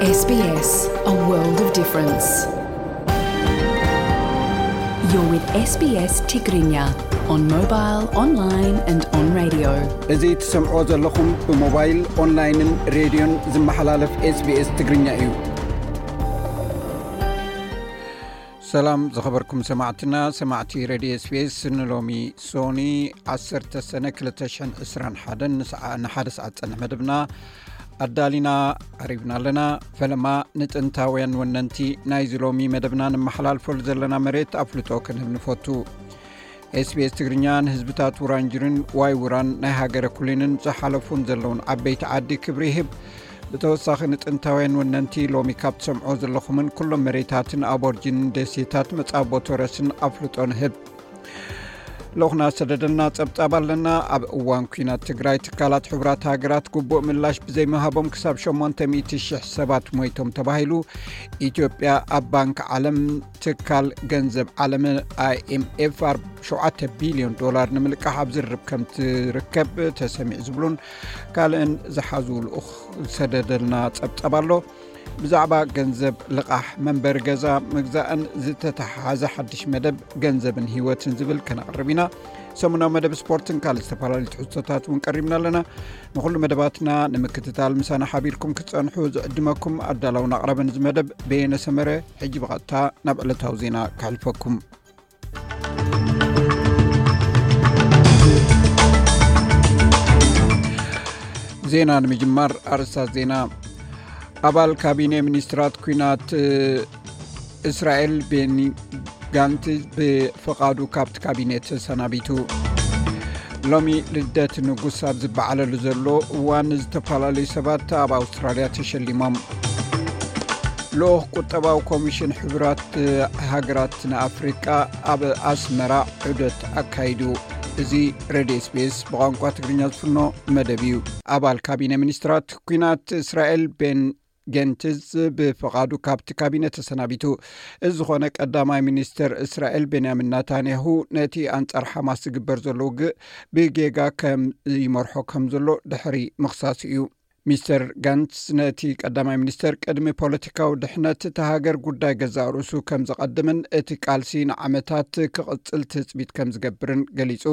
S B S, a world of difference. You're with S B S Tigrinya on mobile, online and on radio. እዚ ትሰምዖ ዘለኹም ብሞባይል፣ ኦንላይንን ሬድዮን ዝመሓላለፍ S B S ትግርኛ እዩ። ሰላም ዝኸበርኩም ሰማዕትና፣ ሰማዕቲ ሬድዮ S B S፣ ንሎሚ ሶኒ ዓሰርተ ሰነ ክልተ ሽሕን ዕስራን ሓደን ንሰዓ-፣ ንሓደ ሰዓት ጸንሕ መደብና ኣዳሊና ዓሪብና ኣለና። ፈለማ ንጥንታውያን ወነንቲ ናይዚ ሎሚ መደብና ንመሓላልፈሉ ዘለና መሬት ኣፍልጦ ክንህብ ንፈቱ። S B S ትግርኛ ንህዝብታት ውራንጅርን ዋይ ውራን ናይ ሃገረ ኩሊንን ዝሓለፉን ዘለውን ዓበይቲ ዓዲ ክብሪ ይህብ። ብተወሳኺ ንጥንታውያን ወነንቲ ሎሚ ካብ ትሰምዖ ዘለኹምን ኩሎም መሬታትን ኣቦርጂንን ደሴታት መጻቦ ቶረስን ኣፍልጦ ንህብ። ልኡኽና ሰደደልና ጸብጻብ ኣለና። ኣብ እዋን ኲናት ትግራይ ትካላት ሕቡራት ሃገራት ግቡእ ምላሽ ብዘይምሃቦም ክሳብ ሸሞንተ ሚእቲ ሽሕ ሰባት ሞይቶም ተባሂሉ። ኢትዮጵያ ኣብ ባንክ ዓለም ትካል ገንዘብ ዓለም I M F ኣር-፣ ሸውዓተ ቢልዮን ዶላር ንምልቃሕ ኣብ ዝርርብ ከም ትርከብ ተሰሚዑ ዝብሉን ካልእን ዝሓዙ ልኡኽ ዝሰደደልና ጸብጻብ ኣሎ። ብዛዕባ ገንዘብ ልቓሕ መንበሪ ገዛ ምግዛእን ዝተተሓሓዘ ሓድሽ መደብ ገንዘብን ህይወትን ዝብል ከነቕርብ ኢና። ሰሙናዊ መደብ ስፖርትን ካልእ ዝተፈላለዩ ትሕዝቶታት እውን ቀሪብና ኣለና። ንኹሉ መደባትና ንምክትታል ምሳና ሓቢርኩም ክትጸንሑ ዝዕድመኩም ኣዳላውን ኣቕራብን እዚ መደብ በየነ ሰመረ። ሕጂ ብቐጥታ ናብ ዕለታዊ ዜና ከሕልፈኩም። ዜና ንምጅማር ኣርእስታት ዜና። ኣባል ካቢኔ ሚኒስትራት ኲናት እስራኤል ቤኒ ጋንትዝ ብፍቓዱ ካብቲ ካቢኔ ተሰናቢቱ። ሎሚ ልደት ንጉስ ኣብ ዝበዓለሉ ዘሎ እዋን ዝተፈላለዩ ሰባት ኣብ ኣውስትራልያ ተሸሊሞም። ልኡኽ ቁጠባዊ ኮሚሽን ሕቡራት ሃገራት ንኣፍሪቃ ኣብ ኣስመራ ዑደት ኣካይዱ። እዚ ሬድዮ S B S ብቋንቋ ትግርኛ ዝፍኖ መደብ እዩ። ኣባል ካቢነ ሚኒስትራት ኲናት እስራኤል ቤን ገንትዝ ብፍቓዱ ካብቲ ካቢነ ተሰናቢቱ። እዚ ዝኾነ ቀዳማይ ሚኒስትር እስራኤል ቤንያሚን ናታንያሁ ነቲ ኣንጻር ሓማስ ዝግበር ዘሎ ውግእ ብጌጋ ከም ይመርሖ ከም ዘሎ ድሕሪ ምኽሳሱ እዩ። ሚስተር ጋንትስ ነቲ ቀዳማይ ሚኒስተር ቅድሚ ፖለቲካዊ ድሕነት እታ ሃገር ጉዳይ ገዛእ ርእሱ ከም ዘቐድምን እቲ ቃልሲ ንዓመታት ክቕጽል ትጽቢት ከም ዝገብርን ገሊጹ።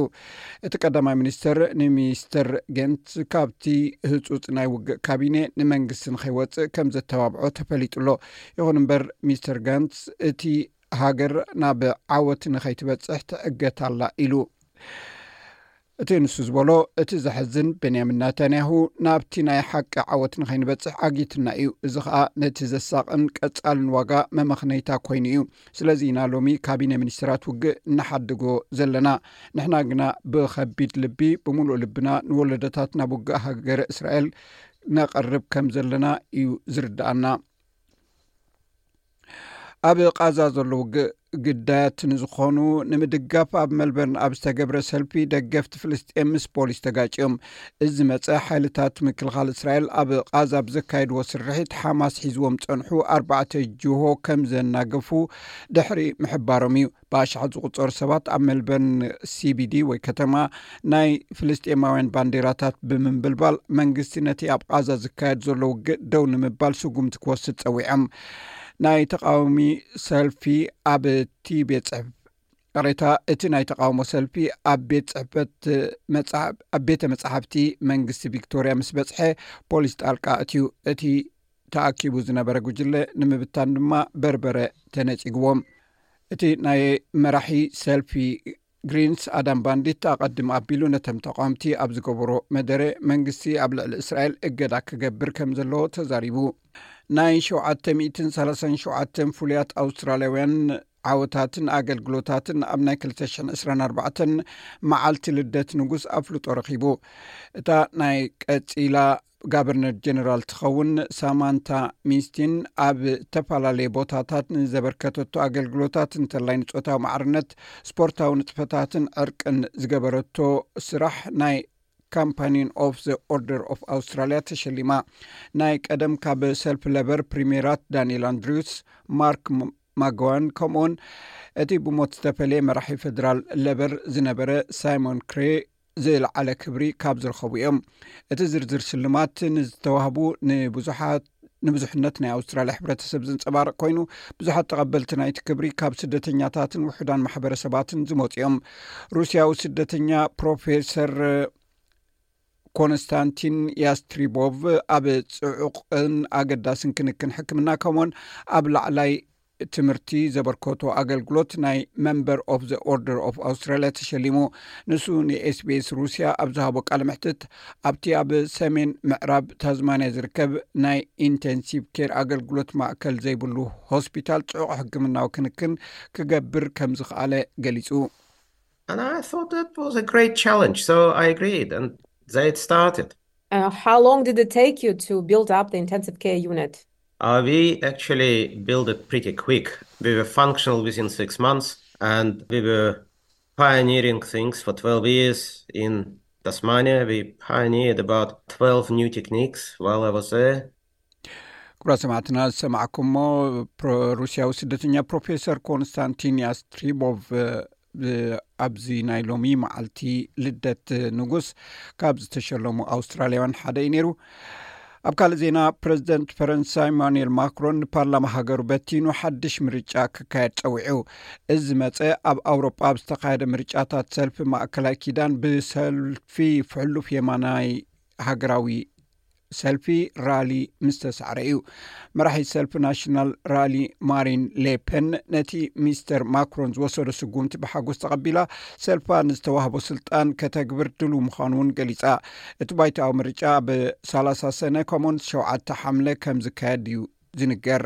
እቲ ቀዳማይ ሚኒስተር ንሚስተር ገንትስ ካብቲ ህጹጽ ናይ ውግእ ካቢኔ ንመንግስቲ ንኸይወጽእ ከም ዘተባብዖ ተፈሊጡ ኣሎ። ይኹን እምበር ሚስተር ጋንትስ እቲ ሃገር ናብ ዓወት ንኸይትበጽሕ ትዕገት ኣላ ኢሉ። እቲ ንሱ ዝበሎ፣ እቲ ዘሕዝን ቤንያሚን ናታንያሁ ናብቲ ናይ ሓቂ ዓወት ንኸይንበጽሕ ዓጊትና እዩ። እዚ ኸኣ ነቲ ዘሳቕን ቀጻልን ዋጋ መመኽነይታ ኮይኑ እዩ። ስለዚ ኢና ሎሚ ካቢነ ሚኒስትራት ውግእ እናሓድጎ ዘለና። ንሕና ግና ብኸቢድ ልቢ፣ ብምሉእ ልብና ንወለዶታት ናብ ውግእ ሃገረ እስራኤል ነቐርብ ከም ዘለና እዩ ዝርድኣና። ኣብ ቃዛ ዘሎ ውግእ ግዳያት ንዝኾኑ ንምድጋፍ ኣብ መልበርን ኣብ ዝተገብረ ሰልፊ ደገፍቲ ፍልስጤም ምስ ፖሊስ ተጋጭዮም። እዚ መጸ ሓይልታት ምክልኻል እስራኤል ኣብ ቃዛ ብዘካየድዎ ስርሒት ሓማስ ሒዝዎም ጸንሑ ኣርባዕተ ጅሆ ከም ዘናገፉ ድሕሪ ምሕባሮም እዩ። ብኣሽሓት ዝቑጸሩ ሰባት ኣብ መልበርን C B D ወይ ከተማ ናይ ፍልስጤማውያን ባንዴራታት ብምንብልባል መንግስቲ ነቲ ኣብ ቃዛ ዝካየድ ዘሎ ውግእ ደው ንምባል ስጉምቲ ክወስድ ጸዊዖም። ናይ ተቃዋሚ ሰልፊ ኣብ እቲ ቤት ጽሕፍ-፣ ይቕሬታ፣ እቲ ናይ ተቃውሞ ሰልፊ ኣብ ቤት ጽሕፈት መጽሓ-፣ ኣብ ቤተ መጻሕፍቲ መንግስቲ ቪክቶርያ ምስ በጽሐ ፖሊስ ጣልቃ ኣትዩ። እቲ ተኣኪቡ ዝነበረ ጉጅለ ንምብታን ድማ በርበረ ተነጺግዎም። እቲ ናይ መራሒ ሰልፊ ግሪንስ ኣዳም ባንዲት ኣቐድም ኣቢሉ ነቶም ተቃወምቲ ኣብ ዝገበሮ መደረ መንግስቲ ኣብ ልዕሊ እስራኤል እገዳ ክገብር ከም ዘለዎ ተዛሪቡ። ናይ ሸውዓተ ሚእትን ሰላሳን ሸውዓተን ፍሉያት ኣውስትራልያውያን ዓወታትን ኣገልግሎታትን ኣብ ናይ ክልተ ሽሕን ዕስራን ኣርባዕተን መዓልቲ ልደት ንጉስ ኣፍልጦ ረኺቡ። እታ ናይ ቀጺላ ጋቨርነር ጀነራል ትኸውን ሳማንታ ሚስቲን ኣብ እተፈላለየ ቦታታት ንዘበርከተቶ ኣገልግሎታት እንተላይ ንጾታዊ ማዕርነት፣ ስፖርታዊ ንጥፈታትን ዕርቅን ዝገበረቶ ስራሕ ናይ ካምፓኒን ኦፍ ዘ ኦርደር ኦፍ ኣውስትራልያ ተሸሊማ። ናይ ቀደም ካብ ሰልፊ ለበር ፕሪሜራት ዳንኤል ኣንድሪውስ፣ ማርክ ም-፣ ማጎዋን ከምኡውን እቲ ብሞት ዝተፈለየ መራሒ ፌደራል ለበር ዝነበረ ሳይሞን ክሬ ዝለዓለ ክብሪ ካብ ዝረኸቡ እዮም። እቲ ዝርዝር ሽልማት ንዝተዋህቡ ንብዙሓት ንብዙሕነት ናይ ኣውስትራልያ ሕብረተሰብ ዘንጸባርቕ ኮይኑ፣ ብዙሓት ተቐበልቲ ናይቲ ክብሪ ካብ ስደተኛታትን ውሑዳን ማሕበረሰባትን ዝመጹ እዮም። ሩስያዊ ስደተኛ ፕሮፌሰር ኮንስታንቲን ያስትሪቦቭ ኣብ ጽዑቕን ኣገዳስን ክንክን ሕክምና፣ ከምኡውን ኣብ ላዕላይ ትምህርቲ ዘበርከቶ ኣገልግሎት፣ ናይ Member of the Order of Australia ተሸሊሙ። ንሱ ንኤስቢኤስ ሩስያ ኣብ ዝሃቦ ቃለ መሕትት፣ ኣብቲ ኣብ ሰሜን ምዕራብ ታዝማንያ ዝርከብ ናይ ኢንቴንሲቭ ኬር ኣገልግሎት ማእከል ዘይብሉ ሆስፒታል ጽዑቕ ሕክምናዊ ክንክን ክገብር ከም ዝኸኣለ ገሊጹ። And I thought that was a great challenge, so I agreed, and they started. Uh, how long did it take you to build up the intensive care unit? Uh, we actually built it pretty quick. We were functional within six months, and we were pioneering things for twelve years in Tasmania. We pioneered about twelve new techniques while I was there. ክቡራት ሰማዕትና፣ ዝሰማዕኩሞ ፕሮ- ሩስያዊ ስደተኛ ፕሮፌሰር ኮንስታንቲን ያስትሪቦቭ፣ እ፣ ኣብዚ ናይ ሎሚ መዓልቲ ልደት ንጉስ ካብ ዝተሸለሙ ኣውስትራልያውያን ሓደ እዩ ነይሩ። ኣብ ካልእ ዜና፣ ፕረዚደንት ፈረንሳ ኢማኑኤል ማክሮን ንፓርላማ ሃገሩ በቲኑ ሓድሽ ምርጫ ክካየድ ጸዊዑ። እዚ መጸ ኣብ ኣውሮጳ ኣብ ዝተኻየደ ምርጫታት ሰልፊ ማእከላይ ኪዳን ብሰልፊ ፍሕሉፍ የማናይ ሃገራዊ ሰልፊ ራሊ ምስ ተሳዕረ እዩ። መራሒ ሰልፊ ናሽናል ራሊ ማሪን ሌፐን ነቲ ሚስተር ማክሮን ዝወሰዶ ስጉምቲ ብሓጎስ ተቐቢላ፣ ሰልፋ ንዝተዋህቦ ስልጣን ከተግብር ድሉ ምዃኑ እውን ገሊጻ። እቲ ባይታዊ ምርጫ ብ30 ሰነ ከምኡውን ሸውዓተ ሓምለ ከም ዝካየድ እዩ ዝንገር።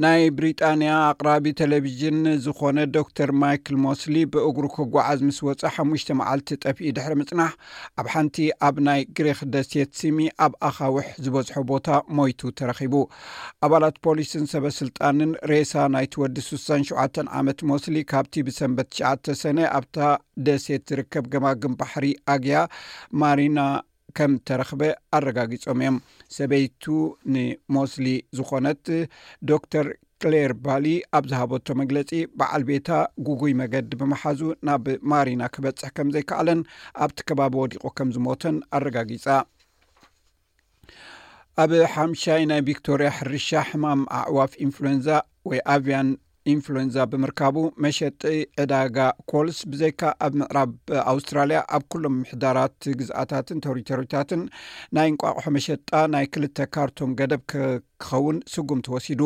ናይ ብሪጣንያ ኣቕራቢ ቴሌቪዥን ዝኾነ ዶክተር ማይክል ሞስሊ ብእግሩ ክጓዓዝ ምስ ወፀ ሓሙሽተ መዓልቲ ጠፊኡ ድሕሪ ምፅናሕ፣ ኣብ ሓንቲ ኣብ ናይ ግሪክ ደሴት ሲሚ ኣብ ኣኻውሕ ዝበዝሖ ቦታ ሞይቱ ተረኺቡ። ኣባላት ፖሊስን ሰበ ስልጣንን ሬሳ ናይቲ ወዲ ስሳን ሸውዓተን ዓመት ሞስሊ ካብቲ ብሰንበት ትሽዓተ ሰነ ኣብታ ደሴት ዝርከብ ገማግም ባሕሪ ኣግያ ማሪና ከም ተረኽበ ኣረጋጊጾም እዮም። ሰበይቱ ንሞስሊ ዝኾነት ዶክተር ክሌር ባሊ ኣብ ዝሃበቶ መግለጺ፣ በዓል ቤታ ጉጉይ መገዲ ብምሓዙ ናብ ማሪና ክበጽሕ ከም ዘይከኣለን ኣብቲ ከባቢ ወዲቑ ከም ዝሞተን ኣረጋጊጻ። ኣብ ሓምሻይ ናይ ቪክቶርያ ሕርሻ ሕማም ኣዕዋፍ ኢንፍሉዌንዛ ወይ ኣቪያን ኢንፍሉዌንዛ ብምርካቡ፣ መሸጢ ዕዳጋ ኮልስ ብዘይካ ኣብ ምዕራብ ኣውስትራልያ ኣብ ኩሎም ምሕዳራት ግዝኣታትን ተሪቶሪታትን ናይ እንቋቑሖ መሸጣ ናይ ክልተ ካርቶን ገደብ ክኸውን ስጉምቲ ወሲዱ።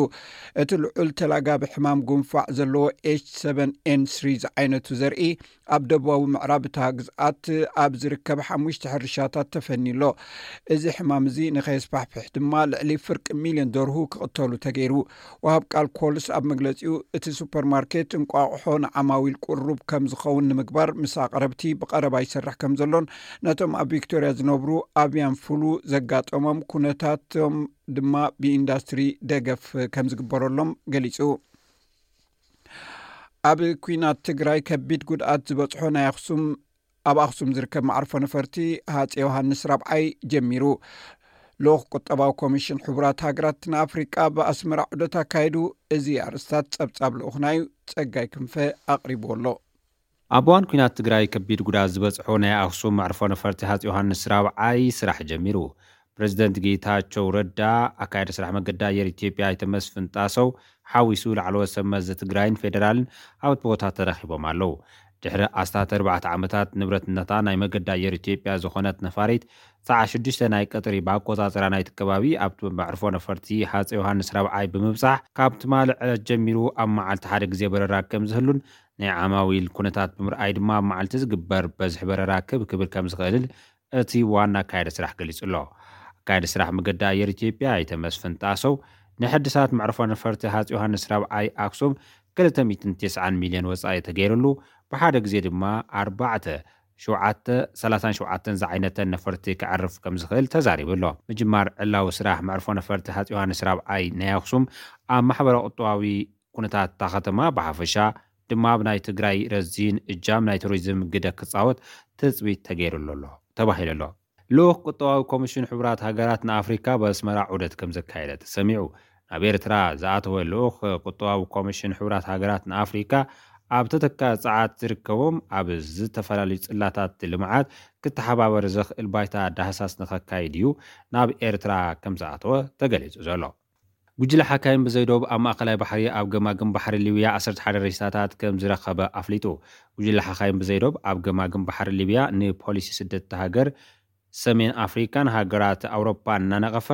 እቲ ልዑል ተላጋቢ ሕማም ጉንፋዕ ዘለዎ ኤች ሰቨን ኤን ስሪ ዝዓይነቱ ዘርኢ ኣብ ደቡባዊ ምዕራብ እታ ግዝኣት ኣብ ዝርከብ ሓሙሽተ ሕርሻታት ተፈንዩ ኣሎ። እዚ ሕማም እዚ ንኸየስፋሕፍሕ ድማ ልዕሊ ፍርቂ ሚልዮን ደርሁ ክቕተሉ ተገይሩ። ወሃብ ቃል ኮልስ ኣብ መግለጺኡ፣ እቲ ሱፐርማርኬት እንቋቑሖ ንዓማዊል ቅሩብ ከም ዝኸውን ንምግባር ምስ ኣቕረብቲ ብቐረባ ይሰርሕ ከም ዘሎን ነቶም ኣብ ቪክቶርያ ዝነብሩ ኣቪያን ፍሉ ዘጋጠሞም ኩነታቶም ድማ ብኢንዳስትሪ ደገፍ ከም ዝግበረሎም ገሊጹ። ኣብ ኲናት ትግራይ ከቢድ ጉድኣት ዝበጽሖ ናይ ኣኽሱም ኣብ ኣኽሱም ዝርከብ መዕርፎ ነፈርቲ ሃፀ ዮሃንስ ራብዓይ ጀሚሩ። ልኡኽ ቁጠባዊ ኮሚሽን ሕቡራት ሃገራት ንኣፍሪቃ ብኣስመራ ዑደት ኣካይዱ። እዚ ኣርእስታት ጸብጻብ ልኡኽና እዩ። ጸጋይ ክንፈ ኣቕሪብዎ ኣሎ። ኣብ እዋን ኲናት ትግራይ ከቢድ ጉድኣት ዝበፅሖ ናይ ኣኽሱም መዕርፎ ነፈርቲ ሃፀ ዮሃንስ ራብዓይ ስራሕ ጀሚሩ። ፕሬዚደንት ጌታቸው ረዳ፣ ኣካያዲ ስራሕ መገዲ ኣየር ኢትዮጵያ ኣይተ መስፍን ጣሰው ሓዊሱ ላዕለዎት ሰብ መዚ ትግራይን ፌደራልን ኣብቲ ቦታ ተረኺቦም ኣለዉ። ድሕሪ ኣስታት ኣርባዕተ ዓመታት ንብረትነታ ናይ መገዲ ኣየር ኢትዮጵያ ዝኾነት ነፋሪት ሰዓት ሽዱሽተ ናይ ቀትሪ ብኣቆፃፅራ ናይቲ ከባቢ ኣብቲ መዕርፎ ነፈርቲ ሃፀ ዮሃንስ ራብዓይ ብምብፃሕ ካብ ትማሊ ዕለት ጀሚሩ ኣብ መዓልቲ ሓደ ግዜ በረራ ከም ዝህሉን ናይ ዓማዊል ኩነታት ብምርኣይ ድማ ኣብ መዓልቲ ዝግበር በዝሒ በረራ ክብ ክብል ከም ዝኽእልን እቲ ዋና ኣካያዲ ስራሕ ገሊጹ ኣሎ። ኣካያዲ ስራሕ መገዲ ኣየር ኢትዮጵያ ኣይተ መስፍን ጣሰው ንሕድሳት መዕርፎ ነፈርቲ ሃፀ ዮሃንስ ራብዓይ ኣክሱም ክልተ ሚእትን ተስዓን ሚልዮን ወፃኢ ተገይሩሉ ብሓደ ግዜ ድማ ኣርባዕተ ሸውዓተ ሰላሳን ሸውዓተን ዝዓይነተን ነፈርቲ ከዕርፍ ከም ዝኽእል ተዛሪቡ ኣሎ። ምጅማር ዕላዊ ስራሕ መዕርፎ ነፈርቲ ሃፀ ዮሃንስ ራብዓይ ናይ ኣክሱም ኣብ ማሕበረ ቁጠባዊ ኩነታት እታ ከተማ ብሓፈሻ ድማ ኣብ ናይ ትግራይ ረዚን እጃም ናይ ቱሪዝም ግደ ክፃወት ትፅቢት ተገይሩሉ ኣሎ ተባሂሉ ኣሎ። ልኡኽ ቁጠባዊ ኮሚሽን ሕቡራት ሃገራት ንኣፍሪካ ኣብ ኣስመራ ዑደት ከም ዘካየደ ተሰሚዑ። ናብ ኤርትራ ዝኣተወ ልኡኽ ቁጠባዊ ኮሚሽን ሕቡራት ሃገራት ንኣፍሪካ ኣብ ተተካ ጸዓት ዝርከቦም ኣብ ዝተፈላለዩ ጽላታት ልምዓት ክተሓባበር ዘኽእል ባይታ ዳህሳስ ንኸካይድ እዩ ናብ ኤርትራ ከም ዝኣተወ ተገሊጹ ዘሎ። ጉጅለ ሓካይም ብዘይዶብ ኣብ ማእከላይ ባሕሪ ኣብ ገማግም ባሕሪ ሊብያ ዓሰርተ ሓደ ሬሳታት ከም ዝረኸበ ኣፍሊጡ። ጉጅለ ሓካይም ብዘይዶብ ኣብ ገማግም ባሕሪ ሊብያ ንፖሊሲ ስደት ሃገር ሰሜን ኣፍሪካን ሃገራት ኣውሮፓን እናነቐፈ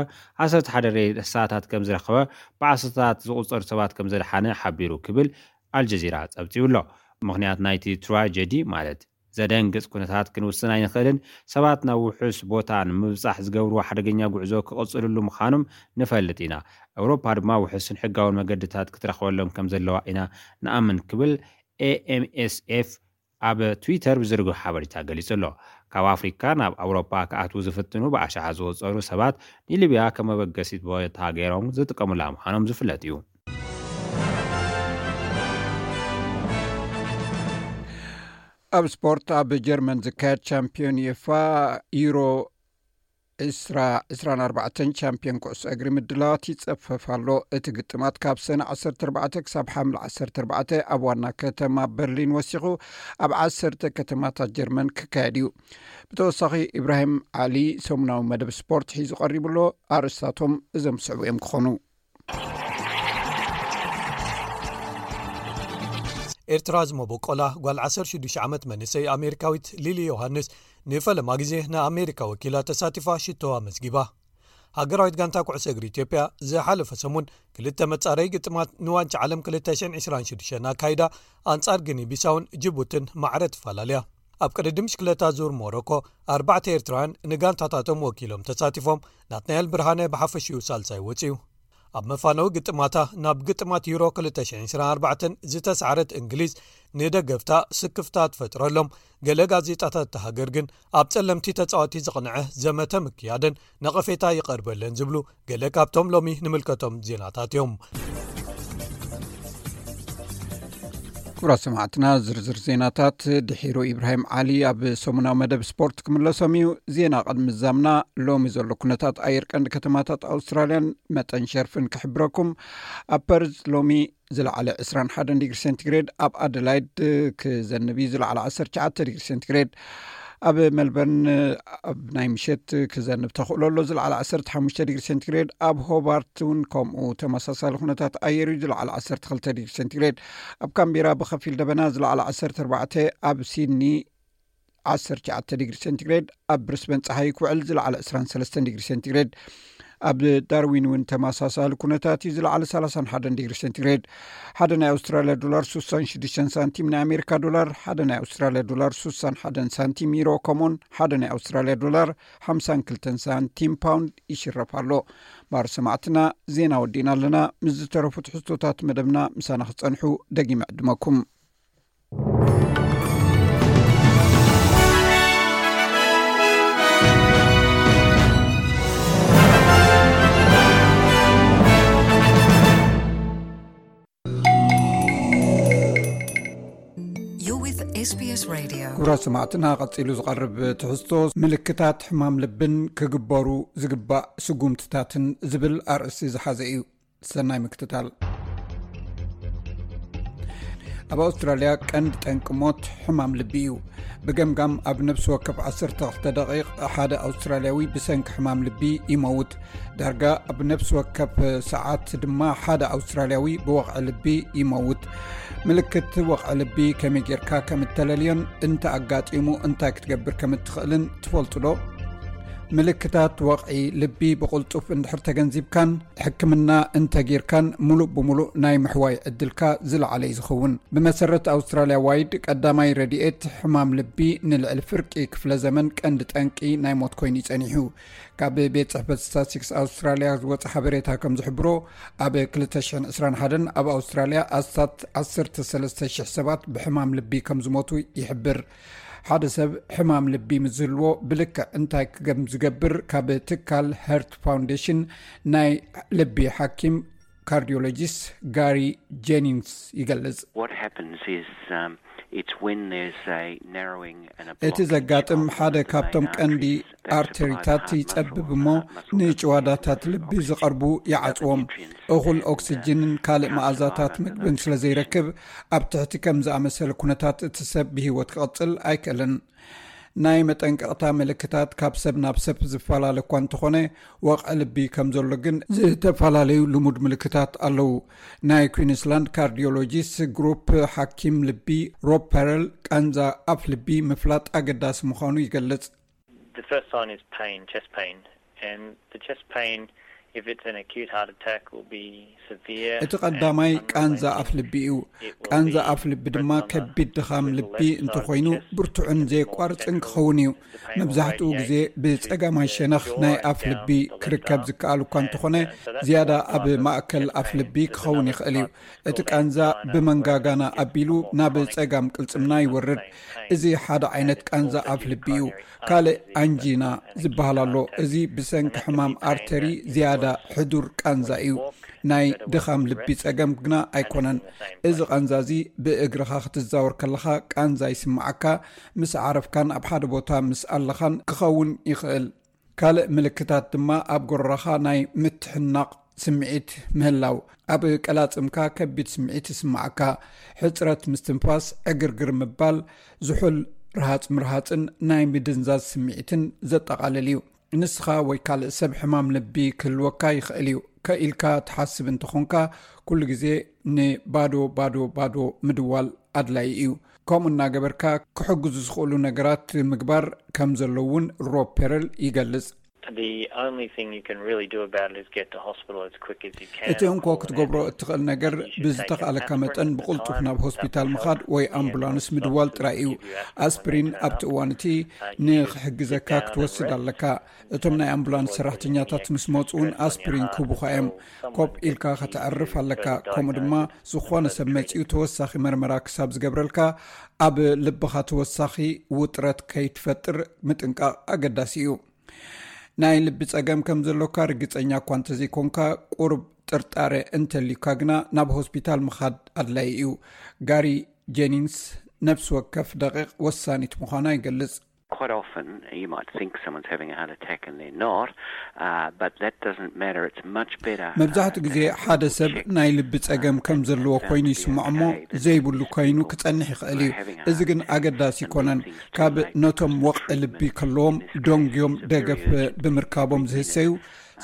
ዓሰርተ ሓደ ሬሳታት ከም ዝረኸበ፣ ብዓሰርታት ዝቑጸሩ ሰባት ከም ዘድሓነ ሓቢሩ ክብል ኣልጀዚራ ጸብጺቡ ኣሎ። ምኽንያት ናይቲ ትራጀዲ ማለት ዘደንግጽ ኩነታት ክንውስን ኣይንኽእልን። ሰባት ናብ ውሑስ ቦታ ንምብጻሕ ዝገብርዎ ሓደገኛ ጉዕዞ ክቕጽልሉ ምዃኖም ንፈልጥ ኢና። ኣውሮፓ ድማ ውሑስን ሕጋውን መገድታት ክትረኽበሎም ከም ዘለዋ ኢና ንኣምን ክብል ኤ ኤም ኤስ ኤፍ ኣብ ትዊተር ብዝርግሑ ሓበሬታ ገሊጹ ኣሎ። ካብ ኣፍሪካ ናብ ኣውሮፓ ክኣትዉ ዝፍትኑ ብኣሽሓት ዝቑጸሩ ሰባት ንሊብያ ከም መበገሲት ቦታ ገይሮም ዝጥቀሙላ ምዃኖም ዝፍለጥ እዩ። ኣብ ስፖርት፣ ኣብ ጀርመን ዝካየድ ቻምፒዮን ዩኤፋ ዩሮ ዕስራ ዕስራን ኣርባዕተን ቻምፒዮን ኩዕሶ እግሪ ምድላዋት ይጸፈፍ ኣሎ። እቲ ግጥማት ካብ ሰነ ዓሰርተ ኣርባዕተ ክሳብ ሓምለ ዓሰርተ ኣርባዕተ ኣብ ዋና ከተማ በርሊን ወሲኹ ኣብ ዓሰርተ ከተማታት ጀርመን ክካየድ እዩ። ብተወሳኺ፣ ኢብራሂም ዓሊ ሰሙናዊ መደብ ስፖርት ሒዙ ቀሪቡ ኣሎ። ኣርእስታቶም እዞም ዝስዕቡ እዮም ክኾኑ። ኤርትራ ዝመበቆላ ጓል ዓሰርተ ሽዱሽተ ዓመት መንእሰይ ኣሜሪካዊት ሊሊ ዮሃንስ ንፈለማ ግዜ ንኣሜሪካ ወኪላ ተሳቲፋ ሽቶ ኣመዝጊባ። ሃገራዊት ጋንታ ኩዕሶ እግሪ ኢትዮጵያ ዝሓለፈ ሰሙን ክልተ መጻረይ ግጥማት ንዋንጫ ዓለም ክልተ ሽሕን ዕስራን ሽዱሽተን ኣካይዳ ኣንጻር ግኒ ቢሳውን ጅቡትን ማዕረ ትፈላለያ። ኣብ ቅድድም ብሽክለታ ዙር ሞሮኮ ኣርባዕተ ኤርትራውያን ንጋንታታቶም ወኪሎም ተሳቲፎም፣ ናትናኤል ብርሃነ ብሓፈሽኡ ሳልሳይ ወጺኡ። ኣብ መፋነዊ ግጥማታ ናብ ግጥማት ዩሮ ክልተ ሽሕን ዕስራን ኣርባዕተን ዝተሳዕረት እንግሊዝ ንደገፍታ ስክፍታ ትፈጥረሎም። ገለ ጋዜጣታት እታ ሃገር ግን ኣብ ጸለምቲ ተጻወቲ ዝቕንዐ ዘመተ ምክያደን ነቐፌታ ይቐርበለን ዝብሉ ገለ ካብቶም ሎሚ ንምልከቶም ዜናታት እዮም። ክቡራት ሰማዕትና፣ ዝርዝር ዜናታት ድሒሩ ኢብራሂም ዓሊ ኣብ ሰሙናዊ መደብ ስፖርት ክምለሶም እዩ። ዜና ቅድሚ ዛምና ሎሚ ዘሎ ኩነታት ኣየር ቀንዲ ከተማታት ኣውስትራልያን መጠን ሸርፍን ክሕብረኩም። ኣብ ፐርዝ ሎሚ ዝለዓለ ዕስራን ሓደን ዲግሪ ሴንቲግሬድ፣ ኣብ ኣደላይድ ክዘንብ እዩ፣ ዝለዓለ ዓሰርተ ትሽዓተ ዲግሪ ሴንቲግሬድ፣ ኣብ ሜልበርን ኣብ ናይ ምሸት ክዘንብ ተኽእሎ ኣሎ፣ ዝለዓለ ዓሰርተ ሓሙሽተ ዲግሪ ሴንቲግሬድ፣ ኣብ ሆባርት እውን ከምኡ ተመሳሳሊ ኩነታት ኣየር እዩ፣ ዝለዓለ ዓሰርተ ክልተ ዲግሪ ሴንቲግሬድ፣ ኣብ ካምቤራ ብኸፊል ደበና፣ ዝለዓለ ዓሰርተ ኣርባዕተ፣ ኣብ ሲድኒ ዓሰርተ ትሽዓተ ዲግሪ ሴንቲግሬድ፣ ኣብ ብሪስበን ጸሓይ ክውዕል፣ ዝለዓለ ዕስራን ሰለስተን ዲግሪ ሴንቲግሬድ፣ ኣብ ዳርዊን እውን ተመሳሳሊ ኩነታት እዩ፣ ዝለዓለ ሰላሳን ሓደን ዲግሪ ሴንቲግሬድ። ሓደ ናይ ኣውስትራልያ ዶላር ስሳን ሽዱሽተን ሳንቲም፣ ናይ ኣሜሪካ ዶላር ሓደ ናይ ኣውስትራልያ ዶላር ስሳን ሓደን ሳንቲም፣ ዩሮ ከምኡን ሓደ ናይ ኣውስትራልያ ዶላር ሓምሳን ክልተን ሳንቲም ፓውንድ ይሽረፍ ኣሎ። ማር ሰማዕትና፣ ዜና ወዲእና ኣለና። ምስ ዝተረፉ ትሕዝቶታት መደብና ምሳና ክጸንሑ ደጊመ ዕድመኩም። You're with S B S Radio. ክቡራት ሰማዕትና፣ ቀጺሉ ዝቐርብ ትሕዝቶ ምልክታት ሕማም ልብን ክግበሩ ዝግባእ ስጉምትታትን ዝብል ኣርእስቲ ዝሓዘ እዩ። ሰናይ ምክትታል። ኣብ ኣውስትራልያ ቀንዲ ጠንቂ ሞት ሕማም ልቢ እዩ። ብገምጋም ኣብ ነፍሲ ወከፍ ዓሰርተ ክልተ ደቂቕ ሓደ ኣውስትራልያዊ ብሰንኪ ሕማም ልቢ ይመውት። ዳርጋ ኣብ ነፍሲ ወከፍ ሰዓት ድማ ሓደ ኣውስትራልያዊ ብወቕዒ ልቢ ይመውት። ምልክት ወቕዒ ልቢ ከመይ ጌርካ ከም እተለልዮን እንተ ኣጋጢሙ እንታይ ክትገብር ከም እትኽእልን ትፈልጡ ዶ? ምልክታት ወቕዒ ልቢ ብቕልጡፍ እንድሕር ተገንዚብካን ሕክምና እንተጌርካን፣ ሙሉእ ብሙሉእ ናይ ምሕዋይ ዕድልካ ዝለዓለ እዩ ዝኸውን። ብመሰረት ኣውስትራልያ ዋይድ፣ ቀዳማይ ረድኤት ሕማም ልቢ ንልዕሊ ፍርቂ ክፍለ ዘመን ቀንዲ ጠንቂ ናይ ሞት ኮይኑ እዩ ጸኒሑ። ካብ ቤት ጽሕፈት ስታትስቲክስ ኣውስትራልያ ዝወጸ ሓበሬታ ከም ዝሕብሮ፣ ኣብ ክልተ ሽሕን ዕስራን ሓደን ኣብ ኣውስትራልያ ኣስታት ዓሰርተ ሰለስተ ሽሕ ሰባት ብሕማም ልቢ ከም ዝሞቱ ይሕብር። ሓደ ሰብ ሕማም ልቢ ምስ ዝህልዎ፣ ብልክዕ እንታይ ከም ዝገብር ካብ ትካል ሀርት ፋውንዴሽን ናይ ልቢ ሓኪም ካርዲዮሎጂስት ጋሪ ጄኒንግስ ይገልጽ። What happens is, um, It's when there's a narrowing and a እቲ ዘጋጥም ሓደ ካብቶም ቀንዲ ኣርተሪታት ይጸብብ እሞ ንጭዋዳታት ልቢ ዝቐርቡ ይዓጽዎም። እኹል ኦክስጅንን ካልእ መኣዛታት ምግብን ስለ ዘይረክብ ኣብ ትሕቲ ከም ዝኣመሰለ ኩነታት እቲ ሰብ ብህይወት ክቕጽል ኣይክእልን። ናይ መጠንቀቕታ ምልክታት ካብ ሰብ ናብ ሰብ ዝፈላለ እኳ እንተኾነ፣ ወቕዒ ልቢ ከም ዘሎ ግን ዝተፈላለዩ ልሙድ ምልክታት ኣለዉ። ናይ ኩዊንስላንድ ካርዲዮሎጂስት ግሩፕ ሓኪም ልቢ ሮብ ፐረል ቃንዛ ኣፍ ልቢ ምፍላጥ ኣገዳሲ ምዃኑ ይገልጽ። The first sign is pain, chest pain, and the chest pain, if it's an acute heart attack, will be severe. እቲ ቀዳማይ ቃንዛ ኣፍ ልቢ እዩ። ቃንዛ ኣፍ ልቢ ድማ ከቢድ ድኻም ልቢ እንተኾይኑ ብርቱዕን ዘየቋርጽን ክኸውን እዩ። መብዛሕትኡ ግዜ ብጸጋማይ ሸነኽ ናይ ኣፍ ልቢ ክርከብ ዝከኣል እኳ እንተኾነ፣ ዝያዳ ኣብ ማእከል ኣፍ ልቢ ክኸውን ይኽእል እዩ። እቲ ቃንዛ ብመንጋጋና ኣቢሉ ናብ ጸጋም ቅልጽምና ይወርድ። እዚ ሓደ ዓይነት ቃንዛ ኣፍ ልቢ እዩ። ካልእ ኣንጂና ዝበሃል ኣሎ። እዚ ብሰንኪ ሕማም ኣርተሪ ዝያዳ ሕዱር ቃንዛ እዩ። ናይ ድኻም ልቢ ጸገም ግና ኣይኮነን። እዚ ቃንዛ እዚ ብእግርኻ ክትዛወር ከለኻ ቃንዛ ይስምዓካ፣ ምስ ዓረፍካን ኣብ ሓደ ቦታ ምስ ኣለኻን ክኸውን ይኽእል። ካልእ ምልክታት ድማ ኣብ ጎረራኻ ናይ ምትሕናቕ ስምዒት ምህላው፣ ኣብ ቀላጽምካ ከቢድ ስምዒት ይስምዓካ፣ ሕጽረት ምስትንፋስ፣ ዕግርግር ምባል፣ ዝሑል ርሃጽ ምርሃጽን ናይ ምድንዛዝ ስምዒትን ዘጠቓልል እዩ። ንስኻ ወይ ካልእ ሰብ ሕማም ልቢ ክህልወካ ይኽእል እዩ። ከኢልካ ትሓስብ እንተኾንካ፣ ኩሉ ግዜ ንባዶ ባዶ ባዶ ምድዋል ኣድላዪ እዩ። ከምኡ እናገበርካ ክሕግዙ ዝኽእሉ ነገራት ምግባር ከም ዘሎ እውን ሮብ ፔረል ይገልጽ። The only thing you can really do about it is get to hospital as quick as you can. እቲ እንኮ ክትገብሮ እትኽእል ነገር ብዝተኽኣለካ መጠን ብቕልጡፍ ናብ ሆስፒታል ምኻድ ወይ ኣምቡላንስ ምድዋል ጥራይ እዩ። ኣስፕሪን ኣብቲ እዋን እቲ ንኽሕግዘካ ክትወስድ ኣለካ። እቶም ናይ ኣምቡላንስ ሰራሕተኛታት ምስ መፁ እውን ኣስፕሪን ክህቡኻ እዮም። ኮፍ ኢልካ ከተዕርፍ ኣለካ። ከምኡ ድማ ዝኾነ ሰብ መፂኡ ተወሳኺ መርመራ ክሳብ ዝገብረልካ ኣብ ልብኻ ተወሳኺ ውጥረት ከይትፈጥር ምጥንቃቕ ኣገዳሲ እዩ። ናይ ልቢ ጸገም ከም ዘሎካ ርግጸኛ እኳ እንተዘይኮንካ፣ ቁሩብ ጥርጣረ እንተልዩካ ግና ናብ ሆስፒታል ምኻድ ኣድላዪ እዩ። ጋሪ ጀኒንግስ ነፍሲ ወከፍ ደቂቕ ወሳኒት ምዃና ይገልጽ። Quite often you might think someone's having a heart attack and they're not, uh, but that doesn't matter. It's much better. መብዛሕትኡ ግዜ ሓደ ሰብ ናይ ልቢ ጸገም ከም ዘለዎ ኮይኑ ይስምዖ እሞ ዘይብሉ ኮይኑ ክጸንሕ ይኽእል እዩ። እዚ ግን ኣገዳሲ ኣይኮነን። ካብ ነቶም ወቕዒ ልቢ ከለዎም ደንጉዮም ደገፍ ብምርካቦም ዝህሰዩ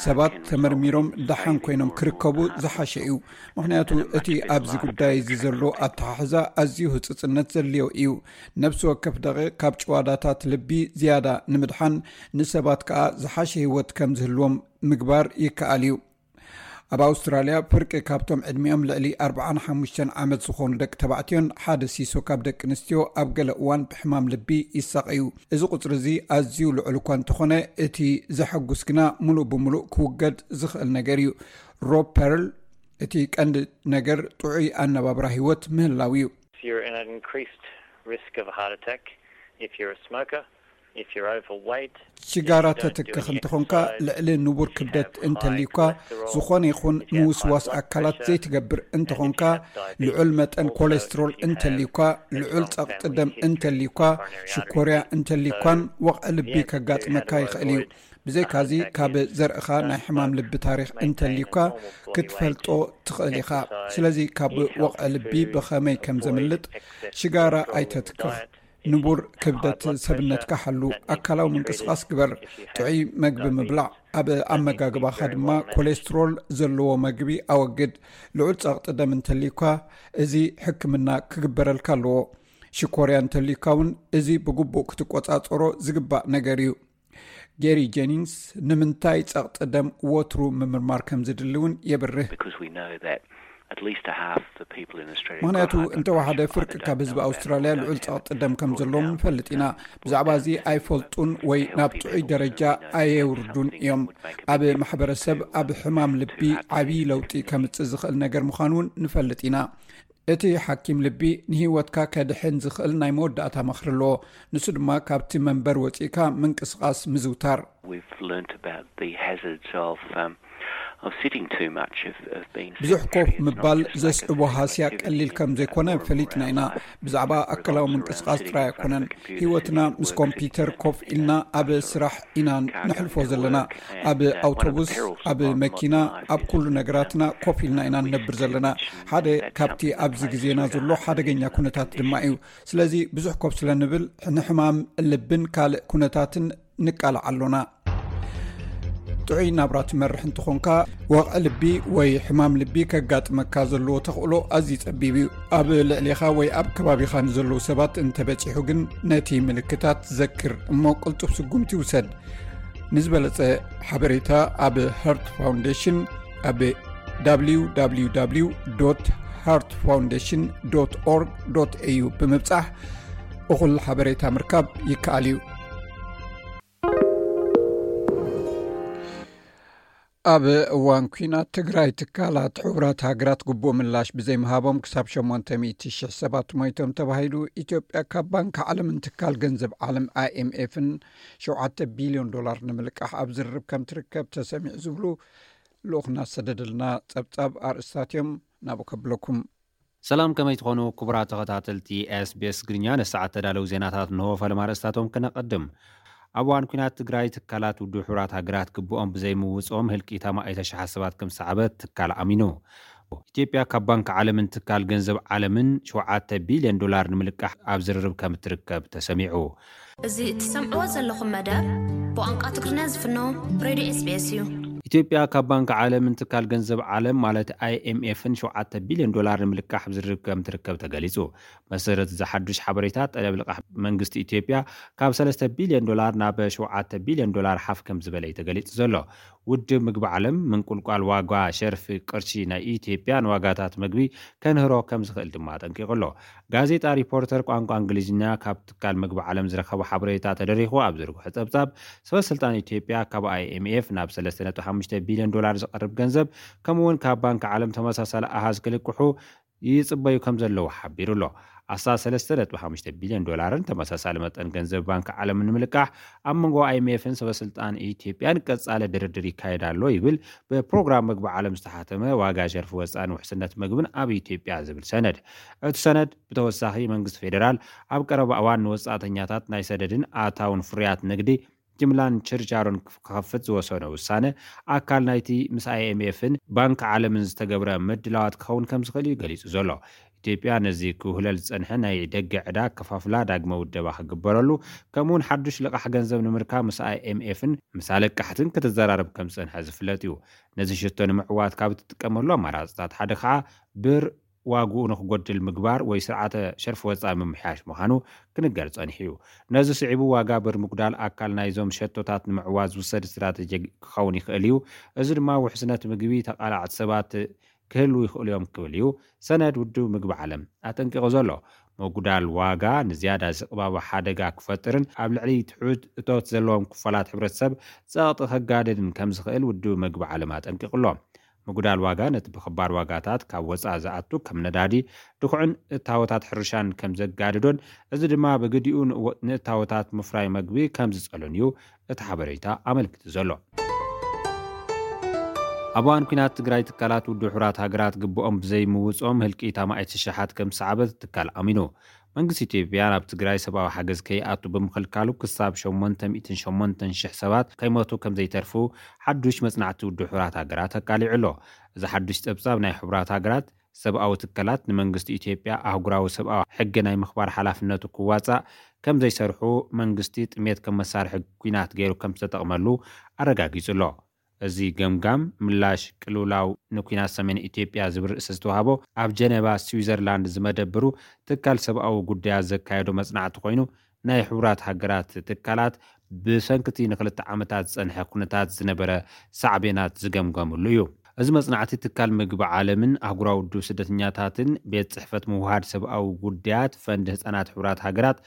ሰባት ተመርሚሮም ደሓን ኮይኖም ክርከቡ ዝሓሸ እዩ። ምኽንያቱ እቲ ኣብዚ ጉዳይ እዚ ዘሎ ኣተሓሕዛ ኣዝዩ ህጽጽነት ዘድልዮ እዩ። ነፍሲ ወከፍ ደቂቕ ካብ ጭዋዳታት ልቢ ዝያዳ ንምድሓን ንሰባት ከኣ ዝሓሸ ህይወት ከም ዝህልዎም ምግባር ይከኣል እዩ። ኣብ ኣውስትራልያ ፍርቂ ካብቶም ዕድሚኦም ልዕሊ ኣርብዓን ሓሙሽተን ዓመት ዝኾኑ ደቂ ተባዕትዮን ሓደ ሲሶ ካብ ደቂ ኣንስትዮ ኣብ ገለ እዋን ብሕማም ልቢ ይሳቐዩ። እዚ ቁጽሪ እዚ ኣዝዩ ልዑል እኳ እንተኾነ፣ እቲ ዘሐጉስ ግና ምሉእ ብምሉእ ክውገድ ዝኽእል ነገር እዩ። ሮብ ፐርል፣ እቲ ቀንዲ ነገር ጥዑይ ኣነባብራ ህይወት ምህላው እዩ። You're in an increased risk of a heart attack if you're a smoker, if you're overweight. ሽጋራ ተትክኽ እንተኾንካ፣ ልዕሊ ንቡር ክብደት እንተልዩካ፣ ዝኾነ ይኹን ምውስዋስ ኣካላት ዘይትገብር እንተኾንካ፣ ልዑል መጠን ኮሌስትሮል እንተልዩካ፣ ልዑል ጸቕጢ ደም እንተልዩካ፣ ሽኮርያ እንተልዩካን ወቕዒ ልቢ ከጋጥመካ ይኽእል እዩ። ብዘይካዚ ካብ ዘርእኻ ናይ ሕማም ልቢ ታሪኽ እንተልዩካ ክትፈልጦ ትኽእል ኢኻ። ስለዚ ካብ ወቕዒ ልቢ ብኸመይ ከም ዘምልጥ ሽጋራ ኣይተትክኽ። ንቡር ክብደት ሰብነትካ ሓሉ፣ ኣካላዊ ምንቅስቓስ ግበር፣ ጥዑይ መግቢ ምብላዕ፣ ኣብ ኣመጋግባኻ ድማ ኮሌስትሮል ዘለዎ መግቢ ኣወግድ። ልዑል ጸቕጢ ደም እንተልዩካ እዚ ሕክምና ክግበረልካ ኣለዎ። ሽኮርያ እንተልዩካ እውን እዚ ብግቡእ ክትቆጻጸሮ ዝግባእ ነገር እዩ። ጌሪ ጀኒንግስ ንምንታይ ጸቕጢ ደም ወትሩ ምምርማር ከም ዝድሊ እውን የብርህ። Because we know that at least a half the people in Australia ምኽንያቱ እንተወሓደ ፍርቂ ካብ ህዝቢ ኣውስትራልያ ልዑል ጸቕጢ ደም ከም ዘለዎም ንፈልጥ ኢና። ብዛዕባ እዚ ኣይፈልጡን ወይ ናብ ጥዑይ ደረጃ ኣየውርዱን እዮም። ኣብ ማሕበረሰብ ኣብ ሕማም ልቢ ዓብዪ ለውጢ ከምጽእ ዝኽእል ነገር ምዃኑ እውን ንፈልጥ ኢና። እቲ ሓኪም ልቢ ንህይወትካ ከድሕን ዝኽእል ናይ መወዳእታ ምኽሪ ኣለዎ። ንሱ ድማ ካብቲ መንበር ወጺእካ ምንቅስቓስ ምዝውታር። We've learnt about the hazards of um, of sitting too much, of, of being ብዙሕ ኮፍ sedentary. It's not ምባል just lack of ዘስዕቦ ሃስያ activity, ቀሊል ከም ዘይኮነ but more ፈሊጥና ኢና። about ብዛዕባ ኣካላዊ ምንቅስቃስ ጥራይ ኣይኮነን። ህይወትና ምስ ኮምፒውተር ኮፍ ኢልና ኣብ ስራሕ ኢና ነሕልፎ ዘለና። ኣብ ኣውቶቡስ፣ ኣብ መኪና፣ ኣብ ኩሉ ነገራትና ኮፍ ኢልና ኢና ንነብር ዘለና። ሓደ ካብቲ ኣብዚ ግዜና ዘሎ ሓደገኛ ኩነታት ድማ እዩ። ስለዚ ብዙሕ ኮፍ ስለ ንብል ንሕማም ልብን ካልእ ኩነታትን ንቃላዕ ኣሎና። ጥዑይ ናብራ ትመርሕ እንተኾንካ፣ ወቕዒ ልቢ ወይ ሕማም ልቢ ከጋጥመካ ዘለዎ ተኽእሎ ኣዝዩ ጸቢብ እዩ። ኣብ ልዕሌኻ ወይ ኣብ ከባቢኻ ንዘለዉ ሰባት እንተበጺሑ ግን ነቲ ምልክታት ዘክር እሞ ቅልጡፍ ስጉምቲ ውሰድ። ንዝበለጸ ሓበሬታ ኣብ Heart Foundation ኣብ www heart foundation org au ብምብጻሕ እኹል ሓበሬታ ምርካብ ይከኣል እዩ። ኣብ እዋን ኲናት ትግራይ ትካላት ሕቡራት ሃገራት ግቡእ ምላሽ ብዘይምሃቦም ክሳብ ሸሞንተ ሚእቲ ሽሕ ሰባት ሞይቶም ተባሂሉ። ኢትዮጵያ ካብ ባንክ ዓለምን ትካል ገንዘብ ዓለም ኣይኤምኤፍን ሸውዓተ ቢልዮን ዶላር ንምልቃሕ ኣብ ዝርርብ ከም ትርከብ ተሰሚዑ ዝብሉ ልኡኽና ዝሰደደልና ጸብጻብ ኣርእስታት እዮም። ናብኡ ከብለኩም። ሰላም፣ ከመይ ትኾኑ ክቡራት ተኸታተልቲ ኤስቢኤስ ትግርኛ? ንሰዓት ተዳለዉ ዜናታት እንሆ። ፈለማ ኣርእስታቶም ክነቐድም። ኣብ እዋን ኲናት ትግራይ ትካላት ውድብ ሕቡራት ሃገራት ግቡኦም ብዘይምውፅኦም ህልቂት ኣማኢተ ሽሓት ሰባት ከም ዝሰዓበት ትካል ኣሚኑ። ኢትዮጵያ ካብ ባንክ ዓለምን ትካል ገንዘብ ዓለምን ሸውዓተ ቢልዮን ዶላር ንምልቃሕ ኣብ ዝርርብ ከም እትርከብ ተሰሚዑ። እዚ እትሰምዕዎ ዘለኹም መደብ ብቋንቋ ትግርኛ ዝፍኖ ሬድዮ ኤስቢኤስ እዩ። ኢትዮጵያ ካብ ባንክ ዓለምን ትካል ገንዘብ ዓለም ማለት ኣይኤምኤፍን ሸውዓተ ቢልዮን ዶላር ንምልቃሕ ኣብ ዝርርብ ከም ትርከብ ተገሊጹ። መሰረት እዚ ሓዱሽ ሓበሬታ፣ ጠለብ ልቓሕ መንግስቲ ኢትዮጵያ ካብ ሰለስተ ቢልዮን ዶላር ናብ ሸውዓተ ቢልዮን ዶላር ሓፍ ከም ዝበለ እዩ ተገሊጹ ዘሎ። ውድብ ምግቢ ዓለም ምንቁልቋል ዋጋ ሸርፊ ቅርሺ ናይ ኢትዮጵያ ንዋጋታት ምግቢ ከንህሮ ከም ዝኽእል ድማ ኣጠንቂቑ ኣሎ። ጋዜጣ ሪፖርተር ቋንቋ እንግሊዝኛ ካብ ትካል ምግቢ ዓለም ዝረኸቦ ሓበሬታ ተደሪኹ ኣብ ዝርግሖ ጸብጻብ፣ ሰበ ስልጣን ኢትዮጵያ ካብ ኣይኤምኤፍ ናብ ሰለስተ ነጥቢ ሓሙሽተ ቢልዮን ዶላር ዝቐርብ ገንዘብ፣ ከምኡ እውን ካብ ባንክ ዓለም ተመሳሳሊ ኣሃዝ ክልቅሑ ይጽበዩ ከም ዘለዉ ሓቢሩ ኣሎ። ኣስታት ሰለስተ ነጥቢ ሓሙሽተ ቢልዮን ዶላርን ተመሳሳሊ መጠን ገንዘብ ባንክ ዓለምን ንምልቃሕ ኣብ መንጎ ኣይኤምኤፍን ሰበ ስልጣን ኢትዮጵያን ቀጻሊ ድርድር ይካየድ ኣሎ ይብል ብፕሮግራም ምግቢ ዓለም ዝተሓተመ ዋጋ ሸርፊ ወጻእን ውሕስነት ምግብን ኣብ ኢትዮጵያ ዝብል ሰነድ። እቲ ሰነድ ብተወሳኺ መንግስቲ ፌዴራል ኣብ ቀረባ እዋን ንወጻእተኛታት ናይ ሰደድን ኣታውን ፍርያት ንግዲ ጅምላን ችርቻሮን ክኸፍት ዝወሰኖ ውሳነ ኣካል ናይቲ ምስ ኣይኤምኤፍን ባንክ ዓለምን ዝተገብረ ምድላዋት ክኸውን ከም ዝኽእል እዩ ገሊጹ ዘሎ። ኢትዮጵያ ነዚ ክውህለል ዝጸንሐ ናይ ደገ ዕዳ ከፋፍላ ዳግመ ውደባ ክግበረሉ፣ ከምኡውን ሓዱሽ ልቓሕ ገንዘብ ንምርካብ ምስ ኣይኤምኤፍን ምስ ኣለቃሕትን ክትዘራረብ ከም ዝጸንሐ ዝፍለጥ እዩ። ነዚ ሽቶ ንምዕዋት ካብ እትጥቀመሉ ኣማራጽታት ሓደ ከዓ ብር ዋግኡ ንክጎድል ምግባር ወይ ስርዓተ ሸርፊ ወጻኢ ምምሕያሽ ምዃኑ ክንገር ጸኒሑ እዩ። ነዚ ስዒቡ ዋጋ ብር ምጉዳል ኣካል ናይዞም ሸቶታት ንምዕዋት ዝውሰድ ስትራተጂ ክኸውን ይኽእል እዩ። እዚ ድማ ውሕስነት ምግቢ ተቓላዕቲ ሰባት ክህልዉ ይኽእሉ እዮም ክብል እዩ ሰነድ ውድብ ምግቢ ዓለም ኣጠንቂቑ ዘሎ። ምጉዳል ዋጋ ንዝያዳ ዝቕባበ ሓደጋ ክፈጥርን ኣብ ልዕሊ ትሑት እቶት ዘለዎም ክፋላት ሕብረተሰብ ጸቕጢ ከጋድድን ከም ዝኽእል ውድብ ምግቢ ዓለም ኣጠንቂቑ ኣሎ። ምጉዳል ዋጋ ነቲ ብኽባር ዋጋታት ካብ ወጻኢ ዝኣቱ ከም ነዳዲ፣ ድኹዕን እታወታት ሕርሻን ከም ዘጋድዶን፣ እዚ ድማ ብግዲኡ ንእወ-፣ ንእታወታት ምፍራይ መግቢ ከም ዝጸሉን እዩ እቲ ሓበሬታ ኣመልኪቱ ዘሎ። ኣብ እዋን ኲናት ትግራይ ትካላት ውድብ ሕቡራት ሃገራት ግብኦም ብዘይምውፅኦም ህልቂት ኣማኢት ሽሓት ከም ዝሰዓበት ትካል ኣሚኑ። መንግስቲ ኢትዮጵያ ናብ ትግራይ ሰብኣዊ ሓገዝ ከይኣቱ ብምኽልካሉ ክሳብ ሸሞንተ ሚእትን ሸሞንተን ሽሕ ሰባት ከይሞቱ ከም ዘይተርፉ ሓዱሽ መጽናዕቲ ውድብ ሕቡራት ሃገራት ኣቃሊዑ ኣሎ። እዚ ሓዱሽ ጸብጻብ ናይ ሕቡራት ሃገራት ሰብኣዊ ትካላት ንመንግስቲ ኢትዮጵያ ኣህጉራዊ ሰብኣዊ ሕጊ ናይ ምኽባር ሓላፍነቱ ክዋጻእ ከም ዘይሰርሑ መንግስቲ ጥሜት ከም መሳርሒ ኲናት ገይሩ ከም ዝተጠቕመሉ ኣረጋጊጹ ኣሎ። እዚ ገምጋም ምላሽ ቅልውላው ንኲናት ሰሜን ኢትዮጵያ ዝብል ርእሲ ዝተዋህቦ ኣብ ጀነቫ ስዊዘርላንድ ዝመደብሩ ትካል ሰብኣዊ ጉዳያት ዘካየዶ መጽናዕቲ ኮይኑ ናይ ሕቡራት ሃገራት ትካላት ብሰንክቲ ንክልተ ዓመታት ዝጸንሐ ኩነታት ዝነበረ ሳዕቤናት ዝገምገምሉ እዩ። እዚ መጽናዕቲ ትካል ምግቢ ዓለምን ኣህጉራዊ ውድብ ስደተኛታትን ቤት ጽሕፈት ምውሃድ ሰብኣዊ ጉዳያት ፈንድ ህጻናት ሕቡራት ሃገራት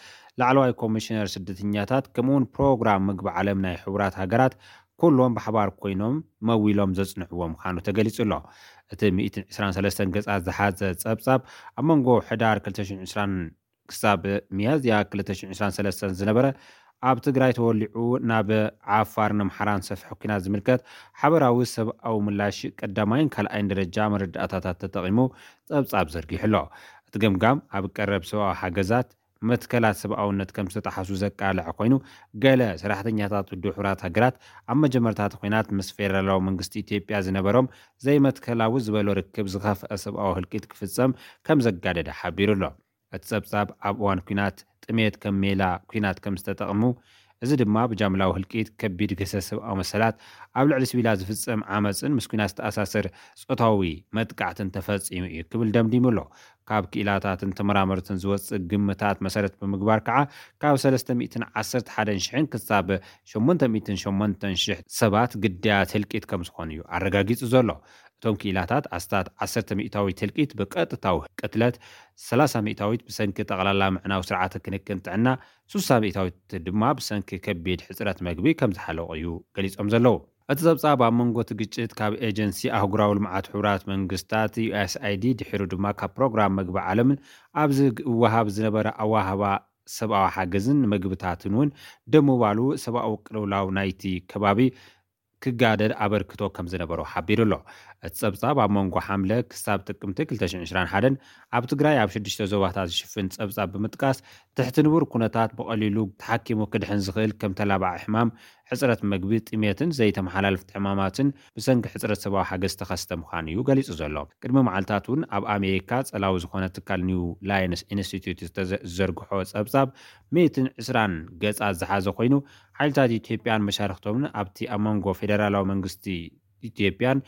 ላዕለዋይ ኮሚሽነር ስደተኛታት ከምኡውን ፕሮግራም ምግቢ ዓለም ናይ ሕቡራት ሃገራት ኩሎም ብሓባር ኮይኖም መዊሎም ዘጽንዕዎ ምዃኑ ተገሊጹ ኣሎ። እቲ ሚእትን ዕስራን ሰለስተን ገጻት ዝሓዘ ጸብጻብ ኣብ መንጎ ሕዳር ክልተ ሽሕን ዕስራን ክሳብ ሚያዝያ ክልተ ሽሕን ዕስራን ሰለስተን ዝነበረ ኣብ ትግራይ ተወሊዑ ናብ ዓፋርን ኣምሓራን ሰፍሐ ኲናት ዝምልከት ሓበራዊ ሰብኣዊ ምላሽ ቀዳማይን ካልኣይን ደረጃ መረዳእታታት ተጠቒሙ ጸብጻብ ዘርጊሑ ኣሎ። እቲ ገምጋም ኣብ ቀረብ ሰብኣዊ ሓገዛት መትከላት ሰብኣውነት ከም ዝተጠሓሱ ዘቃልዐ ኮይኑ፣ ገለ ሰራሕተኛታት ውድብ ሕቡራት ሃገራት ኣብ መጀመርታ እቲ ኲናት ምስ ፌደራላዊ መንግስቲ ኢትዮጵያ ዝነበሮም ዘይመትከላዊ ዝበሎ ርክብ ዝኸፍአ ሰብኣዊ ህልቂት ክፍጸም ከም ዘጋደደ ሓቢሩ ኣሎ። እቲ ጸብጻብ ኣብ እዋን ኲናት ጥሜት ከም ሜላ ኲናት ከም ዝተጠቕሙ፣ እዚ ድማ ብጃምላዊ ህልቂት፣ ከቢድ ግህሰት ሰብኣዊ መሰላት፣ ኣብ ልዕሊ ሲቪላት ዝፍጸም ዓመጽን ምስ ኲናት ዝተኣሳሰር ጾታዊ መጥቃዕትን ተፈጺሙ እዩ ክብል ደምዲሙ ኣሎ። ካብ ክኢላታትን ተመራመርትን ዝወጽእ ግምታት መሰረት ብምግባር ከዓ ካብ ሰለስተ ሚእትን ዓሰርተ ሓደን ሽሕን ክሳብ ሸሞንተ ሚእትን ሸሞንተን ሽሕ ሰባት ግዳያት ህልቂት ከም ዝኾኑ እዩ ኣረጋጊጹ ዘሎ። እቶም ክኢላታት ኣስታት ዓሰርተ ሚእታዊት ህልቂት ብቀጥታዊ ቅትለት፣ ሰላሳ ሚእታዊት ብሰንኪ ጠቕላላ ምዕናው ስርዓተ ክንክን ጥዕና፣ ስሳ ሚእታዊት ድማ ብሰንኪ ከቢድ ሕጽረት መግቢ ከም ዝሓለቑ እዩ ገሊጾም ዘለዉ። እቲ ጸብጻብ ኣብ መንጎ እቲ ግጭት ካብ ኤጀንሲ ኣህጉራዊ ልምዓት ሕቡራት መንግስታት ዩ ኤስ ኣይ ዲ ድሒሩ ድማ ካብ ፕሮግራም መግቢ ዓለምን ኣብ ዝወሃብ ዝነበረ ኣዋህባ ሰብኣዊ ሓገዝን መግብታትን እውን ደምባሉ ሰብኣዊ ቅልውላው ናይቲ ከባቢ ክጋደድ ኣበርክቶ ከም ዝነበሮ ሓቢሩ ኣሎ። እቲ ጸብጻብ ኣብ መንጎ ሓምለ ክሳብ ጥቅምቲ ክልተ ሽሕን ዕስራን ሓደን ኣብ ትግራይ ኣብ ሽዱሽተ ዞባታት ዝሽፍን ጸብጻብ ብምጥቃስ ትሕቲ ንቡር ኩነታት ብቐሊሉ ተሓኪሙ ክድሕን ዝኽእል ከም ተላባዒ ሕማም፣ ሕጽረት መግቢ፣ ጥሜትን ዘይተመሓላለፍቲ ሕማማትን ብሰንኪ ሕጽረት ሰብኣዊ ሓገዝ ዝተኸስተ ምዃኑ እዩ ገሊጹ ዘሎ። ቅድሚ መዓልታት እውን ኣብ ኣሜሪካ ጸላዊ ዝኾነ ትካል ኒው ላይንስ ኢንስቲትዩት ዝተዘ- ዝዘርግሖ ጸብጻብ ሚእትን ዕስራን ገጻት ዝሓዘ ኮይኑ፣ ሓይልታት ኢትዮጵያን መሻርኽቶምን ኣብቲ ኣብ መንጎ ፌደራላዊ መንግስቲ ኢትዮጵያን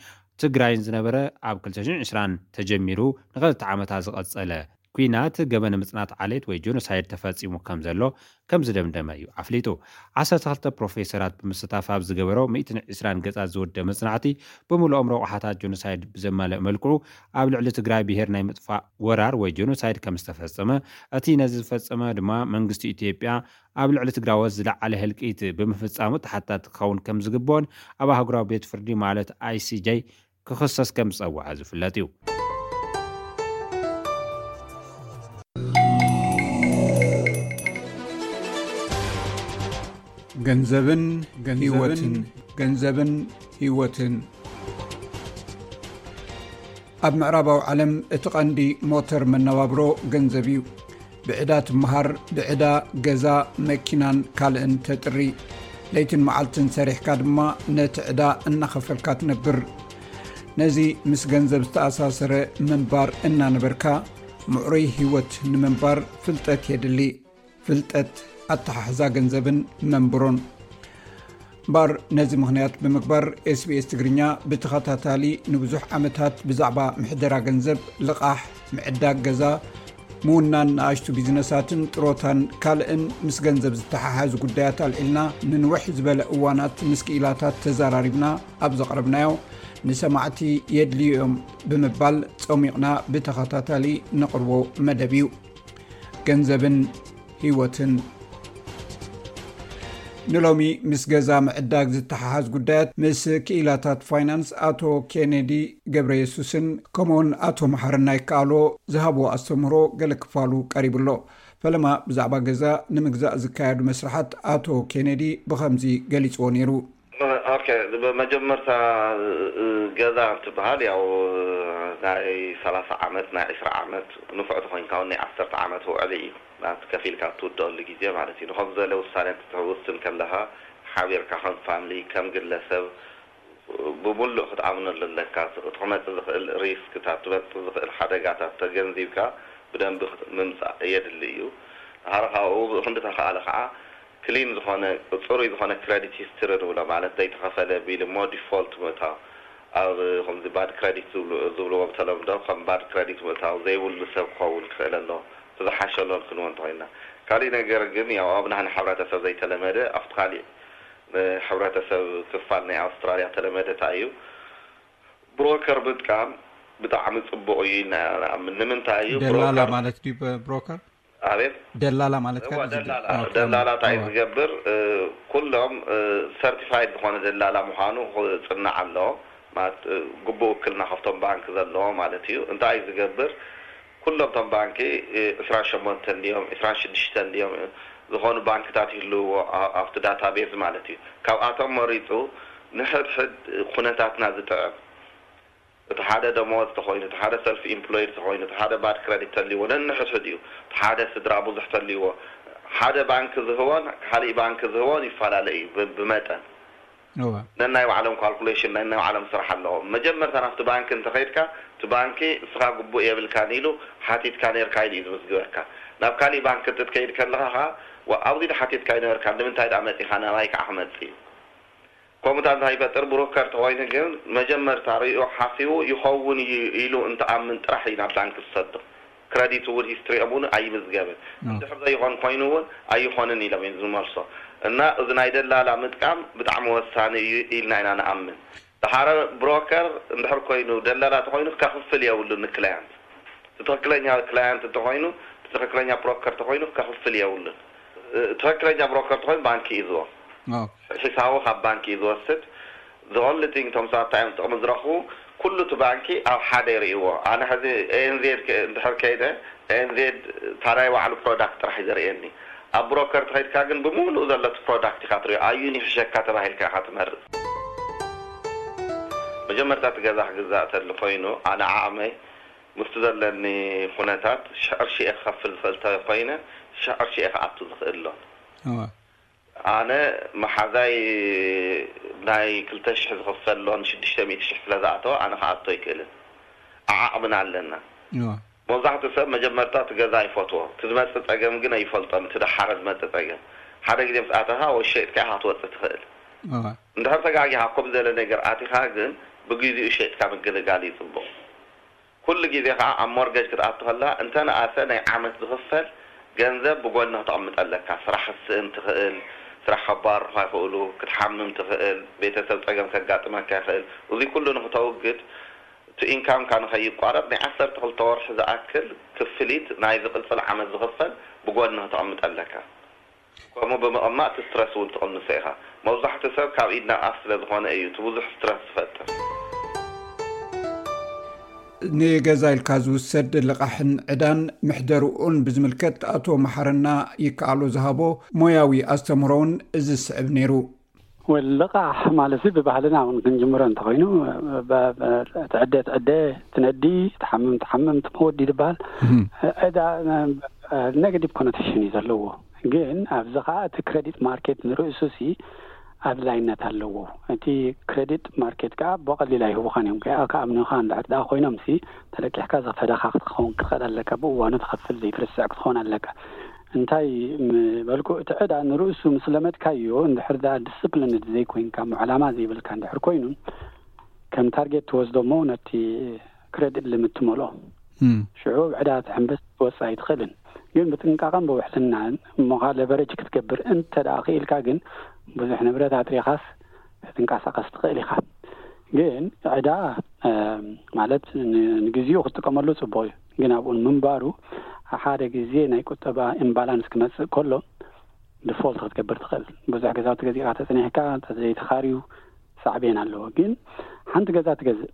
ትግራይን ዝነበረ ኣብ ክልተ ሽሕን ዕስራን ተጀሚሩ ንኸልተ ዓመታት ዝቐጸለ ኲናት ገበን ምጽናት ዓሌት ወይ ጆኖሳይድ ተፈጺሙ ከም ዘሎ ከም ዝደምደመ እዩ ኣፍሊጡ። ዓሰርተ ክልተ ፕሮፌሰራት ብምስታፍ ኣብ ዝገበሮ ሚእትን ዕስራን ገጻት ዝወደ መጽናዕቲ፣ ብምሉኦም ረቑሓታት ጆኖሳይድ ብዘማልእ መልክዑ ኣብ ልዕሊ ትግራይ ብሄር ናይ ምጥፋእ ወራር ወይ ጆኖሳይድ ከም ዝተፈጸመ፣ እቲ ነዚ ዝፈጸመ ድማ መንግስቲ ኢትዮጵያ ኣብ ልዕሊ ትግራዎት ዝለዓለ ህልቂት ብምፍጻሙ ተሓታቲ ክኸውን ከም ዝግብኦን ኣብ ኣህጉራዊ ቤት ፍርዲ ማለት ኣይ ሲ ጀይ ክኽሰስ ከም ዝጸውዐ ዝፍለጥ እዩ። ገንዘብን ህይወትን፣ ገንዘብን ህይወትን። ኣብ ምዕራባዊ ዓለም እቲ ቀንዲ ሞተር መነባብሮ ገንዘብ እዩ። ብዕዳ ትመሃር፣ ብዕዳ ገዛ፣ መኪናን ካልእን ተጥሪ። ለይትን መዓልትን ሰሪሕካ ድማ ነቲ ዕዳ እናኸፈልካ ትነብር። ነዚ ምስ ገንዘብ ዝተኣሳሰረ ምንባር እናነበርካ፣ ምዕሩይ ህይወት ንምንባር ፍልጠት የድሊ። ፍልጠት፣ ኣተሓሕዛ ገንዘብን መንብሮን። እምበኣር ነዚ ምኽንያት ብምግባር ኤስ ቢ ኤስ ትግርኛ ብተኸታታሊ ንብዙሕ ዓመታት ብዛዕባ ምሕደራ ገንዘብ፣ ልቓሕ፣ ምዕዳግ ገዛ፣ ምውናን ንኣሽቱ ቢዝነሳትን ጥሮታን ካልእን ምስ ገንዘብ ዝተሓሓዙ ጉዳያት ኣልዒልና ንንውሕ ዝበለ እዋናት ምስ ክኢላታት ተዘራሪብና ኣብ ዘቕረብናዮ ንሰማዕቲ የድልዩ እዮም ብምባል ጸሚቕና ብተኸታታሊ ነቕርቦ መደብ እዩ። ገንዘብን ህይወትን። ንሎሚ ምስ ገዛ ምዕዳግ ዝተሓሓዝ ጉዳያት ምስ ክኢላታት ፋይናንስ ኣቶ ኬኔዲ ገብረ የሱስን ከምኡውን ኣቶ መሓርና ይከኣሎ ዝሃብዎ ኣስተምህሮ ገለ ክፋሉ ቀሪቡ ኣሎ። ፈለማ ብዛዕባ ገዛ ንምግዛእ ዝካየዱ መስርሓት ኣቶ ኬኔዲ ብኸምዚ ገሊጽዎ ነይሩ። ኦኬ፣ ብመጀመርታ ገዛ እንትበሃል ያው ናይ ሰላሳ ዓመት፣ ናይ ዕስራ ዓመት፣ ንፉዕ ተኾይንካ እውን ናይ ዓሰርተ ዓመት ውዕሊ እዩ። ናብቲ ከፊልካ እትውደኣሉ ግዜ ማለት እዩ። ንኸም ዝበለ ውሳኔ እንትትውስን ከለኻ ሓቢርካ ከም ፋምሊ፣ ከም ግለሰብ፣ ብምሉእ ክትኣምነሉ ኣለካ። እቲ ክመጽእ ዝኽእል ሪስክታት፣ ክመጽእ ዝኽእል ሓደጋታት ተገንዚብካ ብደንቢ ክት- ምምጻእ የድሊ እዩ። ድሓር ካብኡ ብኽንዲ ተኸኣለ ከዓ ክሊን ዝኾነ፣ ጽሩይ ዝኾነ ክረዲት ሂስትሪ ንብሎ፣ ማለት ዘይተኸፈለ ቢል እሞ ዲፎልት ምእታው። ኣብ ከምዚ ባድ ክረዲት ዝብሉ- ዝብልዎ ብተለምዶ ከም ባድ ክረዲት ምእታው ዘይብሉ ሰብ ክኸውን ክኽእል ኣሎ። እቲ ዝሓሸ ሎን ክንወ እንተኾይንና። ካሊእ ነገር ግን ያው ኣብ ናህና ሕብረተሰብ ዘይተለመደ፣ ኣብቲ ካሊእ ሕብረተሰብ ክፋል ናይ ኣውስትራልያ ተለመደ እንታይ እዩ? ብሮከር ምጥቃም ብጣዕሚ ጽቡቕ እዩ ኢልና ኢና ንኣምን። ንምንታይ እዩ? ደላላ ብሮከር ማለት ድዩ? ብ- ብሮከር? ኣቤት? ደላላ ማለት እዋ፣ ከ- ደላላ። ኦኬ። ደላላ እንታይ እዋ። ዝገብር? እ፣ ኩሎም፣ እ፣ ሰርቲፋይድ ዝኾነ ደላላ ምዃኑ ክጽናዕ ኣለዎ። ማለት፣ እ፣ ግቡእ ውክልና ካብቶም ባንክ ዘለዎ ማለት እዩ። እንታይ እዩ ዝገብር? ኩሎም እቶም ባንኪ፣ እ፣ ዕስራን ሸሞንተን ድዮም፣ ዕስራን ሽዱሽተን ድዮም፣ እ፣ ዝኾኑ ባንክታት ይህልውዎ ኣብቲ ዳታቤዝ ማለት እዩ። ካብኣቶም መሪፁ ንሕድሕድ ኩነታትና ዝጥዕም፣ እቲ ሓደ ደመወዝ ተኾይኑ፣ እቲ ሓደ ሰልፍ ኢምፕሎይድ ተኾይኑ፣ እቲ ሓደ ባድ ክረዲት ተልይዎ ነንሕድሕድ እዩ። እቲ ሓደ ስድራ ብዙሕ ተልይዎ፣ ሓደ ባንክ ዝህቦን ካሊእ ባንክ ዝህቦን ይፈላለ እዩ ብመጠን። ነናይ ባዕሎም ካልኩሌሽን፣ ነናይ ባዕሎም ስራሕ ኣለዎም። መጀመርታ ናብቲ ባንክ እንተኸይድካ፣ እቲ ባንኪ እስኻ ግቡእ የብልካን ኢሉ ሓቲትካ ነርካ ኢሉ እዩ ዝምዝግበካ። ናብ ካሊእ ባንክ እንትትከይድ ከለኻ ከዓ ኣብዚ ሓቲትካ ይነበርካ፣ ንምንታይ ደኣ መፂኻ ናባይ ከዓ ክመፅእ እዩ። ከምኡታ እንታይ ይፈጥር? ብሮከር ተኾይኑ ግን መጀመርታ ርእዩ ሓሲቡ ይኸውን እዩ ኢሉ እንትኣምን ጥራሕ እዩ ናብ ባንክ ዝሰዶ። ክረዲት እውን ሂስትሪኦም እውን ኣይምዝገብን። እንድሕር ዘይኾን ኮይኑ እውን ኣይኾንን ኢሎም እዮም ዝመልሶ። እና እዚ ናይ ደላላ ምጥቃም ብጣዕሚ ወሳኒ እዩ ኢልና ኢና ንኣምን። ደሓረ ብሮከር እንድሕር ኮይኑ፣ ደላላ ተኾይኑ ከኽፍል የብሉን ንክላያንት። እቲ ትኽክለኛ ክላያንት እንተኾይኑ፣ እቲ ትኽክለኛ ብሮከር ተኾይኑ ከኽፍል የብሉን። ትኽክለኛ ብሮከር ተኾይኑ ባንኪ እዩ ዝቦ ሒሳቡ ካብ ባንኪ እዩ ዝወስድ። The only thing፣ እቶም ሰባት እንታይ እዮም ጥቕሚ ዝረኽቡ? ኩሉ እቲ ባንኪ ኣብ ሓደ ይርእይዎ። ኣነ ሕዚ ኤንዜድ እንድሕር ከይደ፣ ኤንዜድ ታናይ ባዕሉ ፕሮዳክት ጥራሕ እዩ ዘርእየኒ። ኣብ ብሮከር ተኸይድካ ግን ብምሉእ ዘሎ እቲ ፕሮዳክት ኢኻ ትሪኦ። ኣዩን ይሕሸካ ተባሂልካ ኢኻ ትመርፅ። መጀመርታ እቲ ገዛ ክግዛእ ተሊ ኮይኑ፣ ኣነ ዓቕመይ ምስቲ ዘለኒ ኩነታት ሽሕ ቅርሺ እየ ክኸፍል ዝኽእል ተኮይነ፣ ሽሕ ቅርሺ እየ ክኣቱ ዝኽእል ኣሎ። ኣነ መሓዛይ ናይ ክልተ ሽሕ ዝኽፈል ኣሎ፣ ንሽዱሽተ ሚእቲ ሽሕ ስለ ዝኣተወ ኣነ ክኣቶ ኣይክእልን። ዓዓቕምና ኣለና። መብዛሕትኡ ሰብ መጀመርታ እቲ ገዛ ይፈትዎ፣ እቲ ዝመፅእ ፀገም ግን ኣይፈልጦን። እቲ ደሓረ ዝመፅእ ፀገም፣ ሓደ ግዜ ምስ ኣተኻ ወይ ሸይጥካ ኢኻ ክትወፅእ ትኽእል። እንድሕር ተጋጊኻ ኣብ ከምዚ ዘለ ነገር ኣቲኻ ግን ብግዚኡ ሸይጥካ ምግልጋል እዩ ፅቡቕ። ኩሉ ግዜ ከዓ ኣብ ሞርገጅ ክትኣቱ ከለኻ እንተነኣሰ ናይ ዓመት ዝኽፈል ገንዘብ ብጎኒ ክተቕምጥ ኣለካ። ስራሕ ክትስእን ትኽእል፣ ስራሕ ከባርሩኻ ይኽእሉ፣ ክትሓምም ትኽእል፣ ቤተሰብ ፀገም ከጋጥመካ ይኽእል። እዚ ኩሉ ንክተውግድ፣ እቲ ኢንካምካ ንኸይቋረፅ ናይ ዓሰርተ ክልተ ወርሒ ዝኣክል ክፍሊት ናይ ዝቕፅል ዓመት ዝኽፈል ብጎኒ ክተቕምጥ ኣለካ። ከምኡ ብምቕማጥ እቲ ስትረስ እውን ትቕንሶ ኢኻ። መብዛሕትኡ ሰብ ካብ ኢድ ናብ ኣፍ ስለ ዝኾነ እዩ እቲ ብዙሕ ስትረስ ዝፈጥር። ንገዛ ኢልካ ዝውሰድ ልቓሕን ዕዳን ምሕደርኡን ብዝምልከት ኣቶ መሓረና ይከኣሎ ዝሃቦ ሞያዊ ኣስተምህሮውን እዚ ዝስዕብ ነይሩ። ወል ልቓሕ ማለት እዚ ብባህልና እውን ክንጅምሮ እንተኾይኑ፣ ብ-፣ ብ-፣ ትዕደ ትዕደ፣ ትነዲ፣ ትሓምም ትሓምም፣ ትመወዲ ይበሃል። እም። ዕዳ፣ ነ-፣ ኔጋቲቭ ኮኖቴሽን እዩ ዘለዎ። ግን ኣብዚ ኸዓ እቲ ክረዲት ማርኬት ንርእሱ ሲ ኣድላይነት ኣለዎ። እቲ ክረዲት ማርኬት ከኣ ብቐሊል ኣይህቡኻን እዮም። ከኣ ክኣምኑኻ እንድሕር ደኣ ኮይኖም ሲ ተለቂሕካ ዘፈዳኻ ክትኸውን ክትኽእል ኣለካ። ብእዋኑ ትኸፍል ዘይትርስዕ ክትኸውን ኣለካ። እንታይ ምበልኩ፣ እቲ ዕዳ ንርእሱ ምስ ለመድካዮ፣ እንድሕር ደኣ ዲስፕሊንድ ዘይኮይንካ፣ እሞ ዕላማ ዘይብልካ እንድሕር ኮይኑ፣ ከም ታርጌት ትወስዶ እሞ ነቲ ክረዲት ሊሚት ትመልኦ። እም። ሽዑ ዕዳ ትሕንብስ ክትወጽእ ኣይትኽእልን። ግን ብጥንቃቐን ብውሕልናን እሞ ኸኣ ለቨሬጅ ክትገብር እንተ ደኣ ክኢልካ ግን ብዙሕ ንብረት ኣጥሪኻስ ክትንቀሳቐስ ትኽእል ኢኻ። ግን ዕዳ፣ እ፣ ማለት ን-፣ ንግዜኡ ክትጥቀመሉ ጽቡቕ እዩ። ግን ኣብኡ ንምንባሩ ሓደ ግዜ ናይ ቁጠባ ኢምባላንስ ክመጽእ ከሎ ዲፎልት ክትገብር ትኽእል። ብዙሕ ገዛውቲ ገዚእካ ተጸኒሕካ እንተዘይተኻርዩ ሳዕቤን ኣለዎ። ግን ሓንቲ ገዛ ትገዝእ፣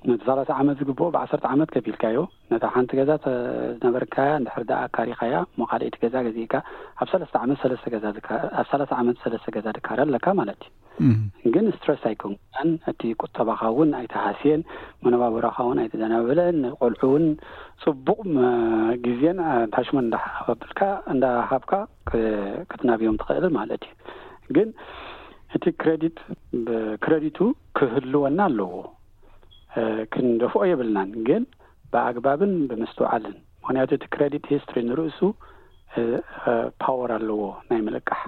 ነቲ ሰላሳ ዓመት ዝግብኦ ብዓሰርተ ዓመት ከፊልካዮ፣ ነታ ሓንቲ ገዛ ተ-፣ ዝነበርካያ እንድሕር ደኣ ኣካሪኻያ፣ እሞ ካልኣይቲ ገዛ ገዚእካ፣ ኣብ ሰለስተ ዓመት ሰለስተ ገዛ ዝካ-፣ ኣብ ሰላሳ ዓመት ሰለስተ ገዛ ድካረ ኣለካ ማለት እዩ። እም። ግን ስትረስ ኣይኮንካን፣ እቲ ቁጠባኻ እውን ኣይተሃስየን፣ መነባብሮኻ እውን ኣይተዘናበለን፣ ንቆልዑ እውን ጽቡቕ መ-፣ ግዜን ኣታሽመንት እንዳሃበልካ፣ እንዳሃብካ ክ-፣ ክትናብዮም ትኽእል ማለት እዩ። ግን እቲ ክረዲት፣ ብ-፣ ክረዲቱ ክህልወና ኣለዎ። እ፣ ክንደፍኦ የብልናን፣ ግን ብኣግባብን ብምስትውዓልን። ምኽንያቱ እቲ ክረዲት ሂስትሪ ንርእሱ፣ እ፣ እ፣ ፓወር ኣለዎ ናይ ምልቃሕ።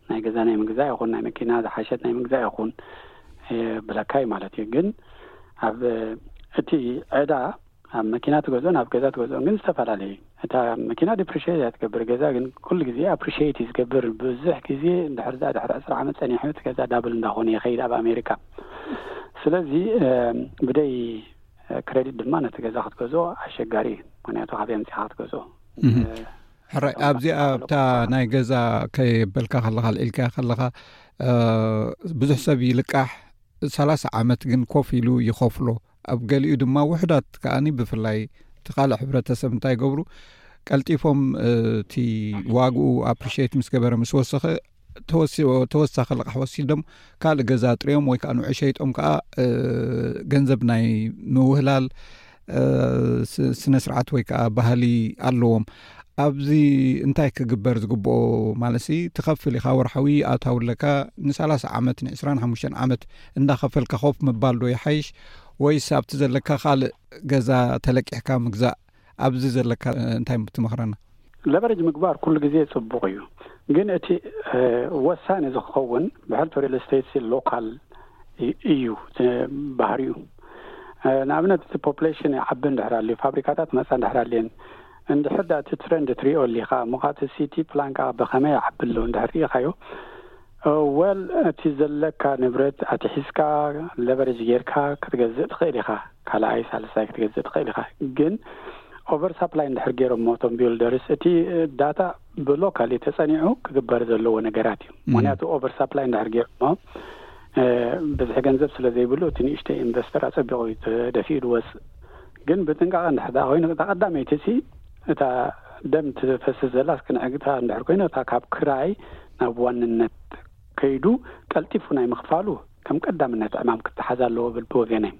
ናይ ገዛ ናይ ምግዛእ ይኹን፣ ናይ መኪና ዝሓሸት ናይ ምግዛእ ይኹን፣ እ፣ ብለካ እዩ ማለት እዩ። ግን ኣብ፣ እ፣ እቲ ዕዳ ኣብ መኪና ትገዝኦን ኣብ ገዛ ትገዝኦን ግን ዝተፈላለዩ እዩ። እታ መኪና ዲፕሪሺየት እያ ትገብር፣ ገዛ ግን ኩሉ ግዜ ኣፕሪሺየት እዩ ዝገብር። ብዙሕ ግዜ እንድሕር እዛ ድሕሪ ዕስራ ዓመት ጸኒሑ እቲ ገዛ ዳብል እንዳኾነ ይኸይድ ኣብ ኣሜሪካ። ስለዚ፣ እ፣ ብደይ ክረዲት ድማ ነቲ ገዛ ክትገዝኦ ኣሸጋሪ እዩ። ምኽንያቱ ካበይ ኣምጺኻ ክትገዝኦ? እህ። እ፣ ሕራይ፣ ካብዛ ኣብዚኣ ካብዛ ኣብታ ናይ ገዛ ከየበልካ ከለኻ፣ ኣልዒልካያ ከለኻ፣ እ፣ ብዙሕ ሰብ ይልቃሕ፣ ሰላሳ ዓመት ግን ኮፍ ኢሉ ይኸፍሎ። ኣብ ገሊኡ ድማ ውሑዳት ከኣኒ፣ ብፍላይ እቲ ካልእ ሕብረተሰብ እንታይ ይገብሩ? ቀልጢፎም እቲ ዋግኡ ኣፕሪሽት ምስ ገበረ ምስ ወሰኸ ተወሳኺ ልቓሕ ወሲዶም ካልእ ገዛ ጥሪዮም ወይ ከዓ ንዑ ሸይጦም ከዓ ገንዘብ ናይ ምውህላል ስነ ስርዓት ወይ ከዓ ባህሊ ኣለዎም። ኣብዚ እንታይ ክግበር ዝግብኦ ማለት ትኸፍል ኢኻ ወርሓዊ ኣታዊ ኣለካ ንሰላሳ ዓመት ንዕስራን ሓሙሽተን ዓመት እንዳኸፈልካ ኮፍ ምባል ዶ ይሓይሽ ወይስ ኣብቲ ዘለካ ካልእ ገዛ ተለቂሕካ ምግዛእ? ኣብዚ ዘለካ እንታይ ትመኽረና? ለቨሬጅ ምግባር ኩሉ ግዜ ጽቡቕ እዩ፣ ግን እቲ ወሳኒ ዝኸውን ብሕልፊ ሪል ስቴት ሎካል እዩ ባህሪኡ። ንኣብነት እቲ ፖፕሌሽን ይዓቢ እንድሕር ኣልዩ፣ ፋብሪካታት መጻ እንድሕር ኣልየን፣ እንድሕር ዳ እቲ ትረንድ ትሪኦ ኣሊኻ እሞ እቲ ሲቲ ፕላን ከዓ ብኸመይ ይዓቢ ኣሎ እንድሕር ርኢኻዮ፣ ወል እቲ ዘለካ ንብረት ኣትሒዝካ ለቨሬጅ ጌርካ ክትገዝእ ትኽእል ኢኻ። ካልኣይ ሳልሳይ ክትገዝእ ትኽእል ኢኻ። ግን ኦቨር ሳፕላይ እንድሕር ገይሮሞ እቶም ቢልደርስ፣ እቲ ዳታ ብሎካሊ ተጸኒዑ ክግበር ዘለዎ ነገራት እዩ። ምክንያቱ ኦቨር ሳፕላይ እንድሕር ገይሮሞ ብዝሒ ገንዘብ ስለ ዘይብሉ እቲ ንእሽተይ ኢንቨስተር ኣጸቢቑ እዩ ተደፊኡ ዝወፅእ። ግን ብጥንቃቐ እንድሕር ደኣ ኮይኑ እታ ቀዳመይቲ ሲ እታ ደም ትፈስስ ዘላ ክንዕግታ እንድሕር ኮይኑ እታ ካብ ክራይ ናብ ዋንነት ከይዱ ቀልጢፉ ናይ ምኽፋሉ ከም ቀዳምነት ዕማም ክተሓዝ ኣለዎ ብል ብወገነይ።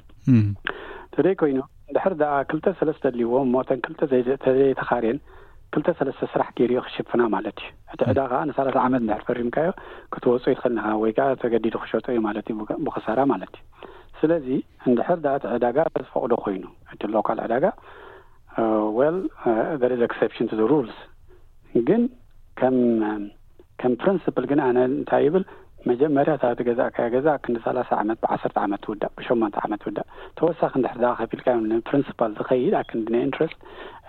ተደይ ኮይኑ እንድሕር ደኣ ክልተ ሰለስተ ኣልዎ እሞ እተን ክልተ ተዘይተኻርየን ክልተ ሰለስተ ስራሕ ገይሩ ክሽፍና ማለት እዩ። እቲ ዕዳ ከዓ ንሰላሳ ዓመት እንድሕር ፈሪምካዮ ክትወፅኦ ይትኽእል ኢኻ ወይ ከዓ ተገዲዱ ክሸጦ እዩ ማለት እዩ ብኸሳራ ማለት እዩ። ስለዚ እንድሕር ደኣ እቲ ዕዳጋ ዝፈቕዶ ኮይኑ እቲ ሎካል ዕዳጋ well there is exception to the rules ግን ከም ከም ፕሪንስፕል ግን ኣነ እንታይ ይብል መጀመርያ እታ ዝገዛእካያ ገዛ ክንዲ ሰላሳ ዓመት ብዓሰርተ ዓመት ትውዳእ ብሸሞንተ ዓመት ትውዳእ ተወሳኺ እንድሕር ደኣ ከፊልካዮም ንፕሪንስፓል ዝኸይድ ኣክንዲ ናይ ኢንትረስት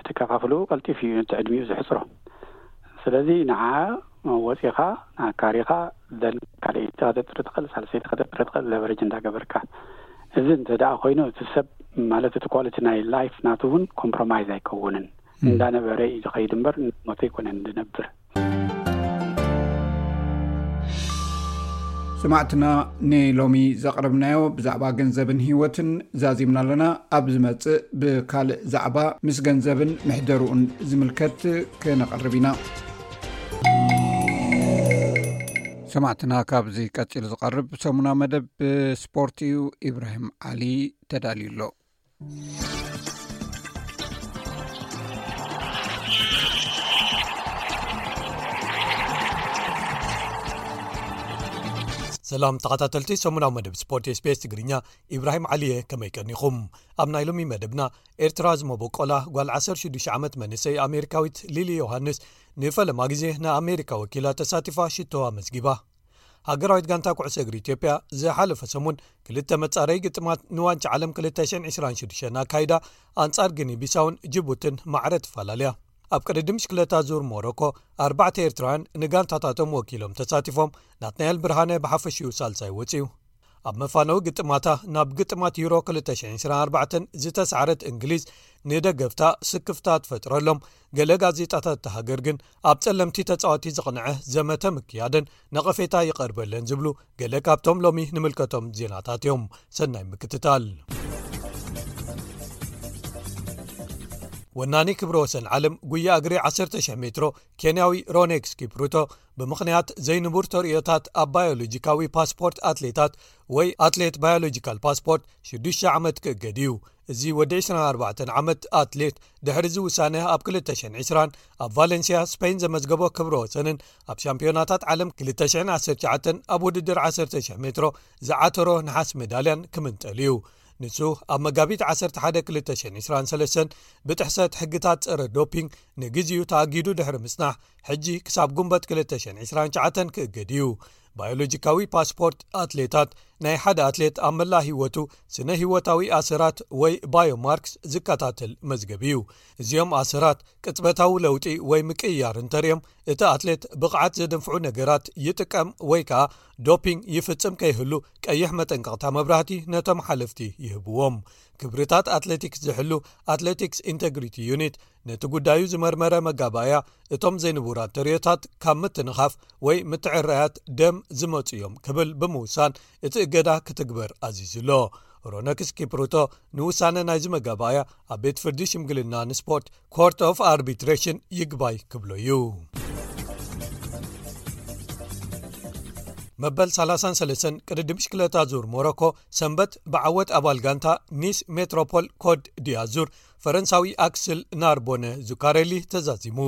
እቲ ከፋፍልኡ ቀልጢፍ እዩ እቲ ዕድሚኡ ዝሕፅሮ። ስለዚ ንዓ ወፂኻ ንኣካሪኻ ዘን ካልኣይቲ ከተጥሪ ትኽእል ሳልሰይቲ ከተጥሪ ትኽእል ለቨሬጅ እንዳገበርካ እዚ እንተ ደኣ ኮይኑ እቲ ሰብ ማለት እቲ ኳሊቲ ናይ ላይፍ ናቱ እውን ኮምፕሮማይዝ ኣይከውንን እንዳነበረ እዩ ዝኸይድ እምበር ሞተ ኣይኮነን ዝነብር። ሰማዕትና ንሎሚ ዘቕረብናዮ ብዛዕባ ገንዘብን ህይወትን ዛዚምና ኣለና። ኣብ ዝመጽእ ብካልእ ዛዕባ ምስ ገንዘብን ምሕደርኡን ዝምልከት ክነቕርብ ኢና። ሰማዕትና ካብዚ ቀጺሉ ዝቐርብ ሰሙና መደብ ስፖርት እዩ። ኢብራሂም ዓሊ ተዳልዩ ኣሎ። ሰላም ተኸታተልቲ ሰሙናዊ መደብ ስፖርት ኤስቢኤስ ትግርኛ፣ ኢብራሂም ዓሊየ ከመይ ቀኒኹም? ኣብ ናይ ሎሚ መደብና ኤርትራ ዝመበቆላ ጓል ዓሰርተ ሽዱሽተ ዓመት መንእሰይ ኣሜሪካዊት ሊሊ ዮሃንስ ንፈለማ ግዜ ንኣሜሪካ ወኪላ ተሳቲፋ ሽቶ ኣመዝጊባ። ሃገራዊት ጋንታ ኩዕሶ እግሪ ኢትዮጵያ ዝሓለፈ ሰሙን ክልተ መጻረይ ግጥማት ንዋንጫ ዓለም ክልተ ሽሕን ዕስራን ሽዱሽተን ኣካይዳ ኣንጻር ግኒ ቢሳውን ጅቡትን ማዕረ ትፈላለያ። ኣብ ቅድድም ሽክለታ ዙር ሞሮኮ ኣርባዕተ ኤርትራውያን ንጋንታታቶም ወኪሎም ተሳቲፎም። ናትናኤል ብርሃነ ብሓፈሽኡ ሳልሳይ ወጺኡ። ኣብ መፋነዊ ግጥማታ ናብ ግጥማት ዩሮ ክልተ ሽሕን ዕስራን ኣርባዕተን ዝተሳዕረት እንግሊዝ ንደገፍታ ስክፍታ ትፈጥረሎም። ገለ ጋዜጣታት እታ ሃገር ግን ኣብ ጸለምቲ ተጻወቲ ዝቕንዐ ዘመተ ምክያደን ነቐፌታ ይቐርበለን ዝብሉ ገለ ካብቶም ሎሚ ንምልከቶም ዜናታት እዮም። ሰናይ ምክትታል። ወናኒ ክብረ ወሰን ዓለም ጉያ እግሪ ዓሰርተ ሽሕ ሜትሮ ኬንያዊ ሮኔክስ ኪፕሩቶ ብምኽንያት ዘይንቡር ተርእዮታት ኣብ ባዮሎጂካዊ ፓስፖርት ኣትሌታት ወይ ኣትሌት ባዮሎጂካል ፓስፖርት ሽዱሽተ ዓመት ክእገድ እዩ። እዚ ወዲ ዕስራን ኣርባዕተን ዓመት ኣትሌት ድሕሪ እዚ ውሳነ ኣብ ክልተ ሽሕን ዕስራን ኣብ ቫለንሲያ ስፔን ዘመዝገቦ ክብረ ወሰንን ኣብ ሻምፒዮናታት ዓለም ክልተ ሽሕን ዓሰርተ ትሽዓተን ኣብ ውድድር ዓሰርተ ሽሕ ሜትሮ ዝዓተሮ ነሓስ ሜዳልያን ክምንጠል እዩ። ንሱ ኣብ መጋቢት ዓሰርተ ሓደ ክልተ ሽሕን ዕስራን ሰለስተን ብጥሕሰት ሕግታት ጸረ ዶፒንግ ንግዜኡ ተኣጊዱ ድሕሪ ምጽናሕ ሕጂ ክሳብ ጉንበት ክልተ ሽሕን ዕስራን ትሽዓተን ክእገድ እዩ። ባዮሎጂካዊ ፓስፖርት ኣትሌታት ናይ ሓደ ኣትሌት ኣብ መላእ ህይወቱ ስነ ህይወታዊ ኣሰራት ወይ ባዮማርክስ ዝከታተል መዝገብ እዩ። እዚኦም ኣሰራት ቅጽበታዊ ለውጢ ወይ ምቅይያር እንተርእዮም እቲ ኣትሌት ብቕዓት ዘደንፍዑ ነገራት ይጥቀም ወይ ከኣ ዶፒንግ ይፍጽም ከይህሉ ቀይሕ መጠንቀቕታ መብራህቲ ነቶም ሓለፍቲ ይህብዎም። ክብርታት ኣትሌቲክስ ዝሕሉ ኣትሌቲክስ ኢንተግሪቲ ዩኒት ነቲ ጉዳዩ ዝመርመረ መጋባእያ እቶም ዘይንቡራት ተርእዮታት ካብ ምትንኻፍ ወይ ምትዕራያት ደም ዝመጹ እዮም ክብል ብምውሳን እቲ እገዳ ክትግበር ኣዚዙ ኣሎ። ሮነክስ ኪፕሩቶ ንውሳነ ናይዚ መጋባእያ ኣብ ቤት ፍርዲ ሽምግልና ንስፖርት ኮርት ኦፍ ኣርቢትሬሽን ይግባይ ክብሎ እዩ። መበል ሰላሳን ሰለስተን ቅድድም ብሽክለታ ዙር ሞሮኮ ሰንበት ብዓወት ኣባል ጋንታ ኒስ ሜትሮፖል ኮት ዲያዙር ፈረንሳዊ ኣክስል ናርቦነ ዙካሬሊ ተዛዚሙ።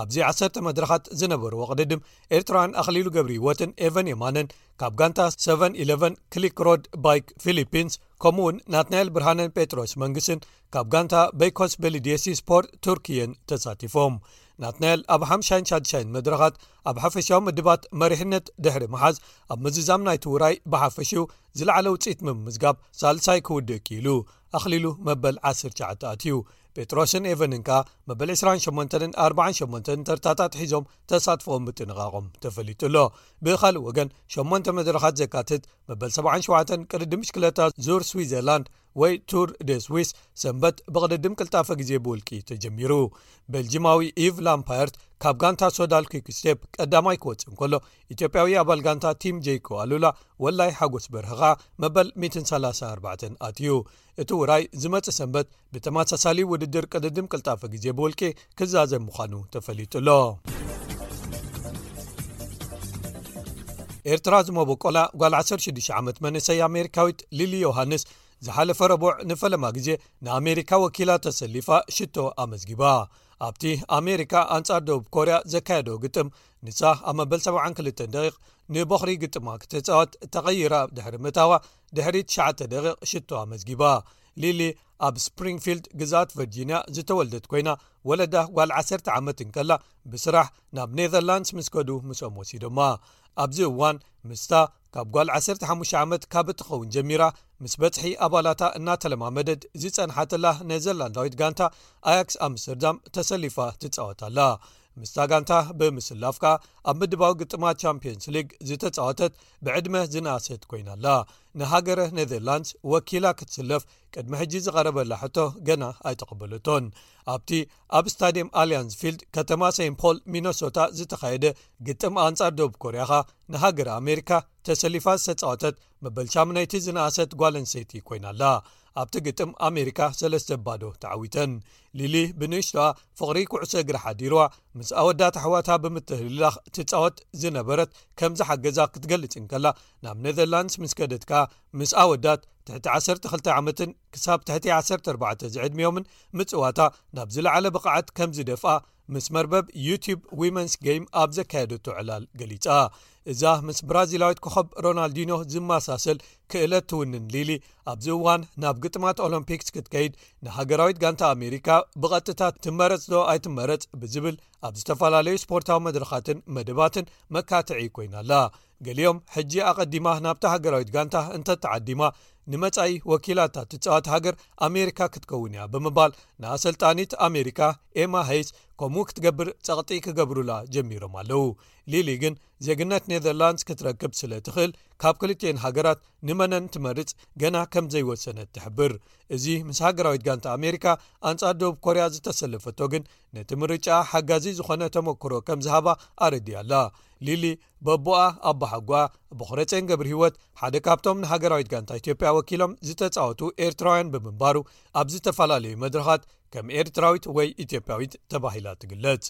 ኣብዚ ዓሰርተ መድረኻት ዝነበርዎ ቅድድም ኤርትራውያን ኣኽሊሉ ገብረ ህይወትን ኤቨን የማነን ካብ ጋንታ ሰቨን ኢለቨን ክሊክ ሮድ ባይክ ፊሊፒንስ፣ ከምኡውን ናትናኤል ብርሃነን ጴጥሮስ መንግስትን ካብ ጋንታ በይኮስ ቤሊዲየሲ ስፖርት ቱርኪየን ተሳቲፎም። ናትናኤል ኣብ ሓምሻይን ሻድሻይን መድረኻት ኣብ ሓፈሻዊ ምድባት መሪሕነት ድሕሪ ምሓዝ፣ ኣብ ምዝዛም ናይቲ ውራይ ብሓፈሽኡ ዝለዓለ ውፅኢት ምምዝጋብ ሳልሳይ ክውድእ ክኢሉ። ኣኽሊሉ መበል ዓሰርተ ትሽዓተ ኣትዩ። ጴጥሮስን ኤቨንን ከኣ መበል ዕስራን ሸሞንተን ኣርባዓን ሸሞንተን ተርታታት ሒዞም ተሳትፎኦም ምጥንቓቖም ተፈሊጡ ኣሎ። ብኻልእ ወገን ሸሞንተ መድረኻት ዘካትት መበል ሰብዓን ሸውዓተን ቅድድም ብሽክለታ ዙር ስዊዘርላንድ ወይ ቱር ደ ስዊስ ሰንበት ብቕድድም ቅልጣፈ ግዜ ብውልቂ ተጀሚሩ። ቤልጂማዊ ኢቭ ላምፓየርት ካብ ጋንታ ሶዳል ኪክ ስቴፕ ቀዳማይ ክወጽእ እንከሎ፣ ኢትዮጵያዊ ኣባል ጋንታ ቲም ጄይኮ ኣሉላ ወላይ ሓጎስ በርሀኻ መበል ሚእትን ሰላሳ ኣርባዕተን ኣትዩ። እቲ ውራይ ዝመጽእ ሰንበት ብተመሳሳሊ ውድድር ቅድድም ቅልጣፈ ግዜ ብውልቂ ክዛዘም ምዃኑ ተፈሊጡ ኣሎ። ኤርትራ ዝመበቆላ ጓል ዓሰርተ ሽዱሽተ ዓመት መንእሰይ ኣሜሪካዊት ሊሊ ዮሃንስ ዝሓለፈ ረቡዕ ንፈለማ ግዜ ንኣሜሪካ ወኪላ ተሰሊፋ ሽቶ ኣመዝጊባ። ኣብቲ ኣሜሪካ ኣንጻር ደቡብ ኮርያ ዘካየዶ ግጥም፣ ንሳ ኣብ መበል ሰብዓን ክልተን ደቂቕ ንቦኽሪ ግጥማ ክትጻወት ተቐይራ ድሕሪ ምእታዋ፣ ድሕሪ ትሽዓተ ደቂቕ ሽቶ ኣመዝጊባ። ሊሊ ኣብ ስፕሪንግፊልድ ግዝኣት ቨርጂንያ ዝተወልደት ኮይና፣ ወለዳ ጓል ዓሰርተ ዓመት እንከላ ብስራሕ ናብ ኔዘርላንድስ ምስ ከዱ ምስኦም ወሲዶማ። ኣብዚ እዋን ምስታ ካብ ጓል ዓሰርተ ሓሙሽተ ዓመት ካብ እትኸውን ጀሚራ ምስ በጽሒ ኣባላታ እናተለማመደት ዝጸንሓትላ ኔዘርላንዳዊት ጋንታ ኣያክስ ኣምስተርዳም ተሰሊፋ ትጻወት ኣላ። ምስታ ጋንታ ብምስላፍ ከኣ ኣብ ምድባዊ ግጥማት ቻምፒየንስ ሊግ ዝተጻወተት ብዕድመ ዝነኣሰት ኮይና ኣላ። ንሃገረ ኔዘርላንድስ ወኪላ ክትስለፍ ቅድሚ ሕጂ ዝቐረበላ ሕቶ ገና ኣይተቐበለቶን። ኣብቲ ኣብ ስታድየም ኣልያንስ ፊልድ ከተማ ሴንት ፖል ሚነሶታ ዝተኻየደ ግጥም ኣንጻር ደቡብ ኮርያ ኸኣ ንሃገረ ኣሜሪካ ተሰሊፋ ዝተጻወተት መበል ሻምናይቲ ዝነኣሰት ጓል ኣንስተይቲ ኮይና ኣላ። ኣብቲ ግጥም ኣሜሪካ ሰለስተ ባዶ ተዓዊተን። ሊሊ ብንእሽቶኣ ፍቕሪ ኩዕሶ እግሪ ሓዲርዋ ምስ ኣወዳት ኣሕዋታ ብምትህልላኽ ትጻወት ዝነበረት ከም ዝሓገዛ ክትገልጽ እንከላ፣ ናብ ኔዘርላንድስ ምስ ከደት ከኣ ምስ ኣወዳት ትሕቲ ዓሰርተ ክልተ ዓመትን ክሳብ ትሕቲ ዓሰርተ ኣርባዕተ ዝዕድሚኦምን ምጽዋታ ናብ ዝለዓለ ብቕዓት ከም ዝደፍኣ ምስ መርበብ ዩቲዩብ ዊመንስ ጌም ኣብ ዘካየደቶ ዕላል ገሊጻ። እዛ ምስ ብራዚላዊት ኮኸብ ሮናልዲኖ ዝመሳሰል ክእለት ትውንን ሊሊ፣ ኣብዚ እዋን ናብ ግጥማት ኦሎምፒክስ ክትከይድ ንሃገራዊት ጋንታ ኣሜሪካ ብቐጥታ ትመረጽ ዶ ኣይትመረጽ ብዝብል ኣብ ዝተፈላለዩ ስፖርታዊ መድረኻትን መደባትን መካትዒ ኮይና ኣላ። ገሊኦም ሕጂ ኣቐዲማ ናብታ ሃገራዊት ጋንታ እንተተዓዲማ ንመጻኢ ወኪላታ ትጻወት ሃገር ኣሜሪካ ክትከውን እያ ብምባል ንኣሰልጣኒት ኣሜሪካ ኤማ ሄይስ ከምኡ ክትገብር ጸቕጢ ክገብሩላ ጀሚሮም ኣለዉ። ሊሊ ግን ዜግነት ኔዘርላንድስ ክትረክብ ስለ ትኽእል ካብ ክልቲኤን ሃገራት ንመነን ትመርጽ ገና ከም ዘይወሰነት ትሕብር። እዚ ምስ ሃገራዊት ጋንታ ኣሜሪካ ኣንጻር ደቡብ ኮርያ ዝተሰለፈቶ ግን ነቲ ምርጫ ሓጋዚ ዝኾነ ተመክሮ ከም ዝሃባ ኣረዲያ ኣላ። ሊሊ በቦኣ ኣቦሓጓ ቦኽረጼን ገብረ ህይወት ሓደ ካብቶም ንሃገራዊት ጋንታ ኢትዮጵያ ወኪሎም ዝተጻወቱ ኤርትራውያን ብምንባሩ ኣብ ዝተፈላለዩ መድረኻት ከም ኤርትራዊት ወይ ኢትዮጵያዊት ተባሂላ ትግለጽ።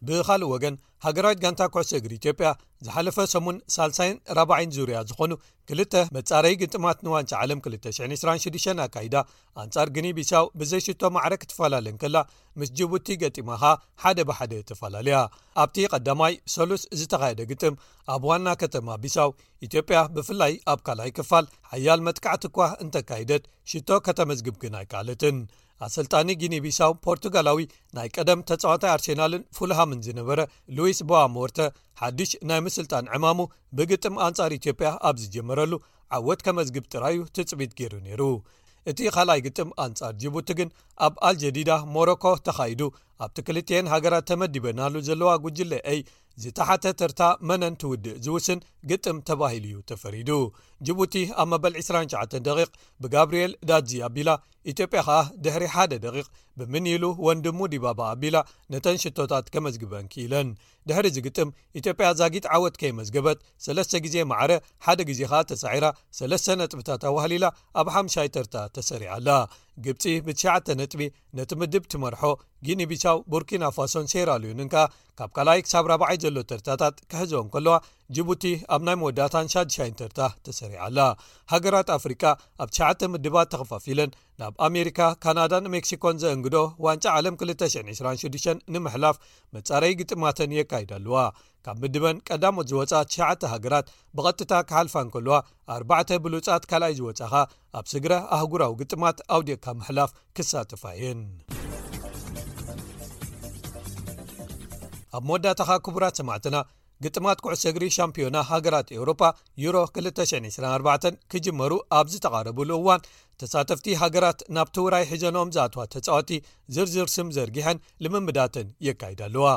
ብኻልእ ወገን ሃገራዊት ጋንታ ኩዕሶ እግሪ ኢትዮጵያ ዝሓለፈ ሰሙን ሳልሳይን ራብዓይን ዙርያ ዝኾኑ ክልተ መጻረዪ ግጥማት ንዋንጫ ዓለም ክልተ ሽሕን ዕስራን ሽዱሽተን ኣካይዳ ኣንጻር ግኒ ቢሳው ብዘይሽቶ ማዕረ ክትፈላለ እንከላ ምስ ጅቡቲ ገጢማ ኸኣ ሓደ ብሓደ ተፈላለያ። ኣብቲ ቀዳማይ ሰሉስ ዝተኻየደ ግጥም ኣብ ዋና ከተማ ቢሳው ኢትዮጵያ ብፍላይ ኣብ ካልኣይ ክፋል ሓያል መጥቃዕቲ እኳ እንተካይደት ሽቶ ከተመዝግብ ግን ኣይከኣለትን። ኣሰልጣኒ ጊኒ ቢሳው ፖርቱጋላዊ ናይ ቀደም ተጻዋታይ ኣርሴናልን ፉልሃምን ዝነበረ ሉዊስ ቦዋ ሞርተ ሓድሽ ናይ ምስልጣን ዕማሙ ብግጥም ኣንጻር ኢትዮጵያ ኣብ ዝጀመረሉ ዓወት ከመዝግብ ጥራዩ ትጽቢት ገይሩ ነይሩ። እቲ ካልኣይ ግጥም ኣንጻር ጅቡቲ ግን ኣብ ኣልጀዲዳ ሞሮኮ ተኻይዱ ኣብቲ ክልቲኤን ሃገራት ተመዲበናሉ ዘለዋ ጉጅለ ኤይ ዝተሓተ ተርታ መነን ትውድእ ዝውስን ግጥም ተባሂሉ እዩ ተፈሪዱ። ጅቡቲ ኣብ መበል ዕስራን ትሽዓተን ደቂቕ ብጋብርኤል ዳዚ ኣቢላ፣ ኢትዮጵያ ከኣ ድሕሪ ሓደ ደቂቕ ብምንይሉ ወንድሙ ዲባባ ኣቢላ ነተን ሽቶታት ከመዝግበን ክኢለን። ድሕሪ እዚ ግጥም ኢትዮጵያ ዛጊት ዓወት ከይመዝገበት፣ ሰለስተ ግዜ ማዕረ፣ ሓደ ግዜ ከኣ ተሳዒራ፣ ሰለስተ ነጥብታት ኣዋህሊላ ኣብ ሓምሻይ ተርታ ተሰሪዓ ኣላ። ግብጺ ብትሽዓተ ነጥቢ ነቲ ምድብ ትመርሖ፣ ጊኒ ቢሳው፣ ቡርኪና ፋሶን ሴራሊዮንን ከኣ ካብ ካልኣይ ክሳብ ራብዓይ ዘሎ ተርታታት ክሕዝኦ እንከለዋ፣ ጅቡቲ ኣብ ናይ መወዳእታን ሻድሻይን ተርታ ተሰሪዓ ኣላ። ሃገራት ኣፍሪቃ ኣብ ትሽዓተ ምድባት ተኸፋፊለን ናብ ኣሜሪካ፣ ካናዳን ሜክሲኮን ዘእንግዶ ዋንጫ ዓለም ክልተ ሽሕን ዕስራን ሽዱሽተን ንምሕላፍ መጻረዪ ግጥማተን የካይዳ ኣለዋ። ካብ ምድበን ቀዳሞት ዝወጻ ትሽዓተ ሃገራት ብቐጥታ ክሓልፋ እንከለዋ፣ ኣርባዕተ ብሉጻት ካልኣይ ዝወጻኻ ኣብ ስግረ ኣህጉራዊ ግጥማት ኣውዲቕካ ምሕላፍ ክሳተፋ እየን። ኣብ መወዳእታኻ ክቡራት ሰማዕትና፣ ግጥማት ኩዕሶ እግሪ ሻምፒዮና ሃገራት ኤውሮፓ ዩሮ ክልተ ሽሕን ዕስራን ኣርባዕተን ክጅመሩ ኣብ ዝተቓረብሉ እዋን፣ ተሳተፍቲ ሃገራት ናብቲ ውራይ ሒዘንኦም ዝኣትዋ ተጻወቲ ዝርዝር ስም ዘርጊሐን ልምምዳተን የካይዳ ኣለዋ።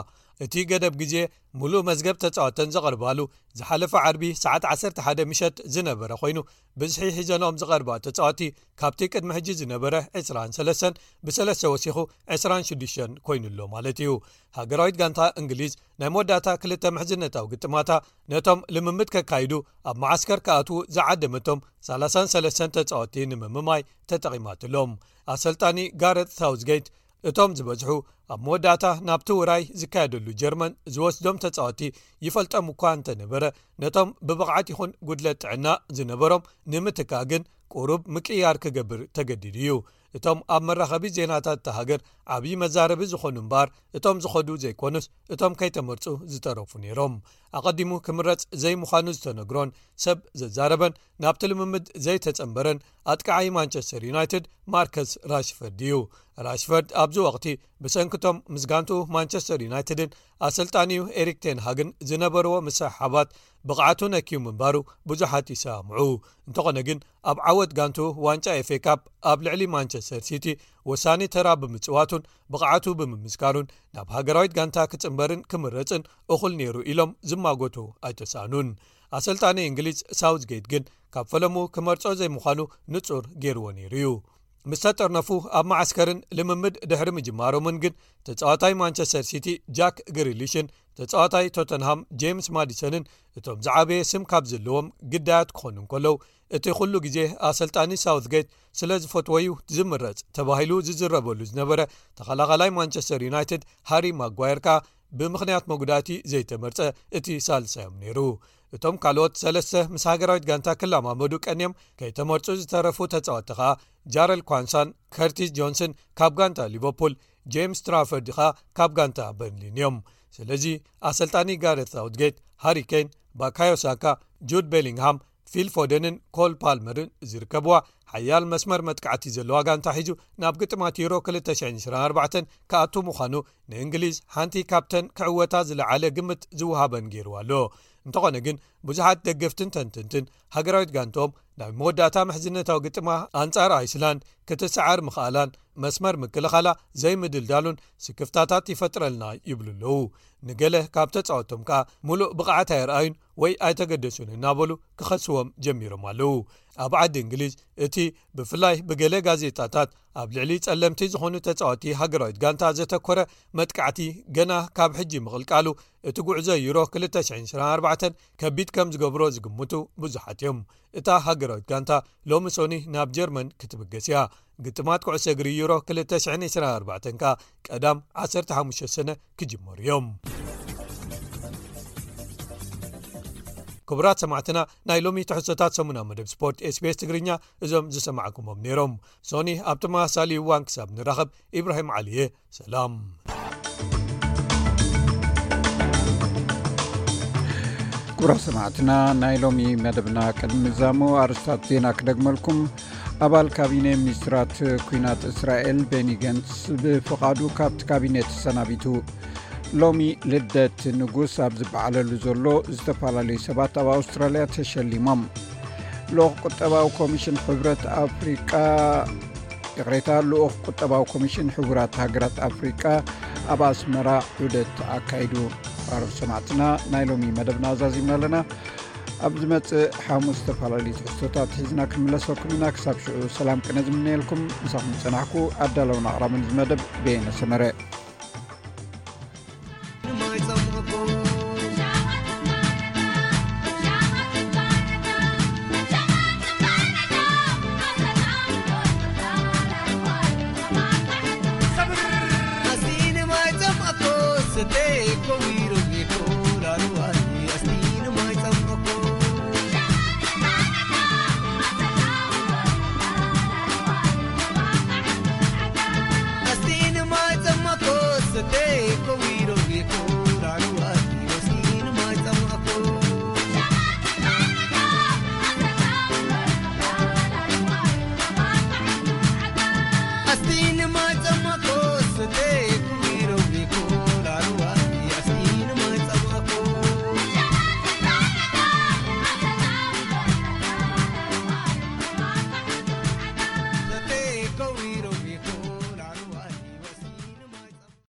እቲ ገደብ ግዜ፣ ምሉእ መዝገብ ተጻወተን ዘቕርባሉ ዝሓለፈ ዓርቢ ሰዓት ዓሰርተ ሓደ ምሸት ዝነበረ ኮይኑ፣ ብዝሒ ሒዘንኦም ዝቐርባ ተጻወቲ ካብቲ ቅድሚ ሕጂ ዝነበረ ዕስራን ሰለስተን ብሰለስተ ወሲኹ ዕስራን ሽዱሽተን ኮይኑ ኣሎ ማለት እዩ። ሃገራዊት ጋንታ እንግሊዝ ናይ መወዳእታ ክልተ ምሕዝነታዊ ግጥማታ ነቶም ልምምድ ከካይዱ ኣብ መዓስከር ክኣትዉ ዝዓደመቶም ሰላሳን ሰለስተን ተጻወቲ ንምምማይ ተጠቒማትሎም። ኣሰልጣኒ ጋረት ሳውዝጌት፣ እቶም ዝበዝሑ ኣብ መወዳእታ ናብቲ ውራይ ዝካየደሉ ጀርመን ዝወስዶም ተጻወቲ ይፈልጦም እኳ እንተነበረ፣ ነቶም ብብቕዓት ይኹን ጉድለት ጥዕና ዝነበሮም ንምትካእ ግን ቁሩብ ምቅይያር ክገብር ተገዲዱ እዩ። እቶም ኣብ መራኸቢ ዜናታት እታ ሃገር ዓብዪ መዛረቢ ዝኾኑ እምበኣር፣ እቶም ዝኸዱ ዘይኮኑስ፣ እቶም ከይተመርጹ ዝተረፉ ነይሮም። ኣቐዲሙ ክምረጽ ዘይምዃኑ ዝተነግሮን ሰብ ዘዛረበን ናብቲ ልምምድ ዘይተጸንበረን ኣጥቃዓይ ማንቸስተር ዩናይትድ ማርከስ ራሽፈርድ እዩ። ራሽፈርድ ኣብዚ ወቕቲ ብሰንክቶም ምስ ጋንትኡ ማንቸስተር ዩናይትድን ኣሰልጣኒኡ ኤሪክ ቴን ሃግን ዝነበርዎ ምስሕሓባት ብቕዓቱ ነክዩ ምንባሩ ብዙሓት ይሰማምዑ። እንተኾነ ግን ኣብ ዓወት ጋንትኡ ዋንጫ ኤፍ ኤ ካፕ ኣብ ልዕሊ ማንቸስተር ሲቲ ወሳኒ ተራ ብምጽዋቱን ብቕዓቱ ብምምስካሩን ናብ ሃገራዊት ጋንታ ክጽንበርን ክምረጽን እኹል ነይሩ ኢሎም ዝማጎቱ ኣይተሳእኑን። ኣሰልጣኒ እንግሊዝ ሳውዝጌት ግን ካብ ፈለሙ ክመርጾ ዘይምዃኑ ንጹር ገይርዎ ነይሩ እዩ። ምስ ተጠርነፉ ኣብ መዓስከርን ልምምድ ድሕሪ ምጅማሮምን ግን ተጻዋታይ ማንቸስተር ሲቲ ጃክ ግሪሊሽን ተጻዋታይ ቶተንሃም ጄምስ ማዲሰንን እቶም ዝዓበየ ስም ካብ ዘለዎም ግዳያት ክኾኑ እንከለዉ፣ እቲ ኩሉ ግዜ ኣሰልጣኒ ሳውዝጌት ስለ ዝፈትወዩ ዝምረጽ ተባሂሉ ዝዝረበሉ ዝነበረ ተኸላኻላይ ማንቸስተር ዩናይትድ ሃሪ ማጓየር ከኣ ብምኽንያት መጉዳእቲ ዘይተመርጸ እቲ ሳልሳዮም ነይሩ። እቶም ካልኦት ሰለስተ ምስ ሃገራዊት ጋንታ ክለማመዱ ቀንዮም ከይተመርጹ ዝተረፉ ተጻወትቲ ከኣ ጃረል ኳንሳን ከርቲስ ጆንስን ካብ ጋንታ ሊቨርፑል፣ ጄምስ ትራፈርድ ከኣ ካብ ጋንታ በርንሊን እዮም። ስለዚ ኣሰልጣኒ ጋሬት ሳውትጌት ሃሪ ኬን፣ ባካዮ ሳካ፣ ጁድ ቤሊንግሃም፣ ፊል ፎደንን ኮል ፓልመርን ዝርከብዋ ሓያል መስመር መጥቃዕቲ ዘለዋ ጋንታ ሒዙ ናብ ግጥማት ዩሮ ክልተ ሽሕን ዕስራን ኣርባዕተን ክኣቱ ምዃኑ ንእንግሊዝ ሓንቲ ካብተን ክዕወታ ዝለዓለ ግምት ዝወሃበን ገይርዋ ኣሎ። እንተኾነ ግን ብዙሓት ደገፍትን ተንተንትን ሃገራዊት ጋንትኦም ናይ መወዳእታ ምሕዝነታዊ ግጥማ ኣንጻር ኣይስላንድ ክትሰዓር ምኽኣላን መስመር ምክልኻላ ዘይምድልዳሉን ስክፍታታት ይፈጥረልና ይብሉ ኣለዉ። ንገለ ካብ ተጻወቶም ከኣ ምሉእ ብቕዓት ኣየርኣዩን ወይ ኣይተገደሱን እናበሉ ክኸስዎም ጀሚሮም ኣለዉ። ኣብ ዓዲ እንግሊዝ እቲ ብፍላይ ብገለ ጋዜጣታት ኣብ ልዕሊ ጸለምቲ ዝኾኑ ተጻወቲ ሃገራዊት ጋንታ ዘተኮረ መጥቃዕቲ ገና ካብ ሕጂ ምቕልቃሉ እቲ ጉዕዞ ዩሮ ክልተ ሽሕን ዕስራን ኣርባዕተን ከቢድ ከም ዝገብሮ ዝግምቱ ብዙሓት እዮም። እታ ሃገራዊት ጋንታ ሎሚ ሶኒ ናብ ጀርመን ክትብገስ እያ። ግጥማት ኩዕሶ እግሪ ዩሮ ክልተ ሽሕን ዕስራን ኣርባዕተን ከኣ ቀዳም ዓሰርተ ሓሙሽተ ሰነ ክጅመሩ እዮም። ክቡራት ሰማዕትና፣ ናይ ሎሚ ትሕዝቶታት ሰሙናዊ መደብ ስፖርት ኤስ ቢ ኤስ ትግርኛ እዞም ዝሰማዕኩሞም ነይሮም። ሶኒ ኣብ ተመሳሳሊ እዋን ክሳብ ንራኸብ፣ ኢብራሂም ዓሊ እየ። ሰላም። ክቡራት ሰማዕትና፣ ናይ ሎሚ መደብና ቅድሚ ምዛሙ ኣርስታት ዜና ክደግመልኩም። ኣባል ካቢነ ሚኒስትራት ኲናት እስራኤል ቤኒ ገንትስ ብፍቓዱ ካብቲ ካቢነ ተሰናቢቱ። ሎሚ ልደት ንጉስ ኣብ ዝበዓለሉ ዘሎ፣ ዝተፈላለዩ ሰባት ኣብ ኣውስትራልያ ተሸሊሞም። ልኡኽ ቁጠባዊ ኮሚሽን ሕብረት ኣፍሪቃ፣ ይቕሬታ፣ ልኡኽ ቁጠባዊ ኮሚሽን ሕቡራት ሃገራት ኣፍሪቃ ኣብ ኣስመራ ዑደት ኣካይዱ። ኣሮብ ሰማዕትና፣ ናይ ሎሚ መደብና ኣዛዚምና ኣለና። ኣብ ዝመጽእ ሓሙስ ዝተፈላለዩ ትሕዝቶታት ሒዝና ክንምለሰኩም ኢና። ክሳብ ሽዑ ሰላም ቅነ ዝምነየልኩም፣ ምሳኹም ዝጸናሕኩ ኣዳለውን ኣቕራብን እዚ መደብ በየነ ሰመረ።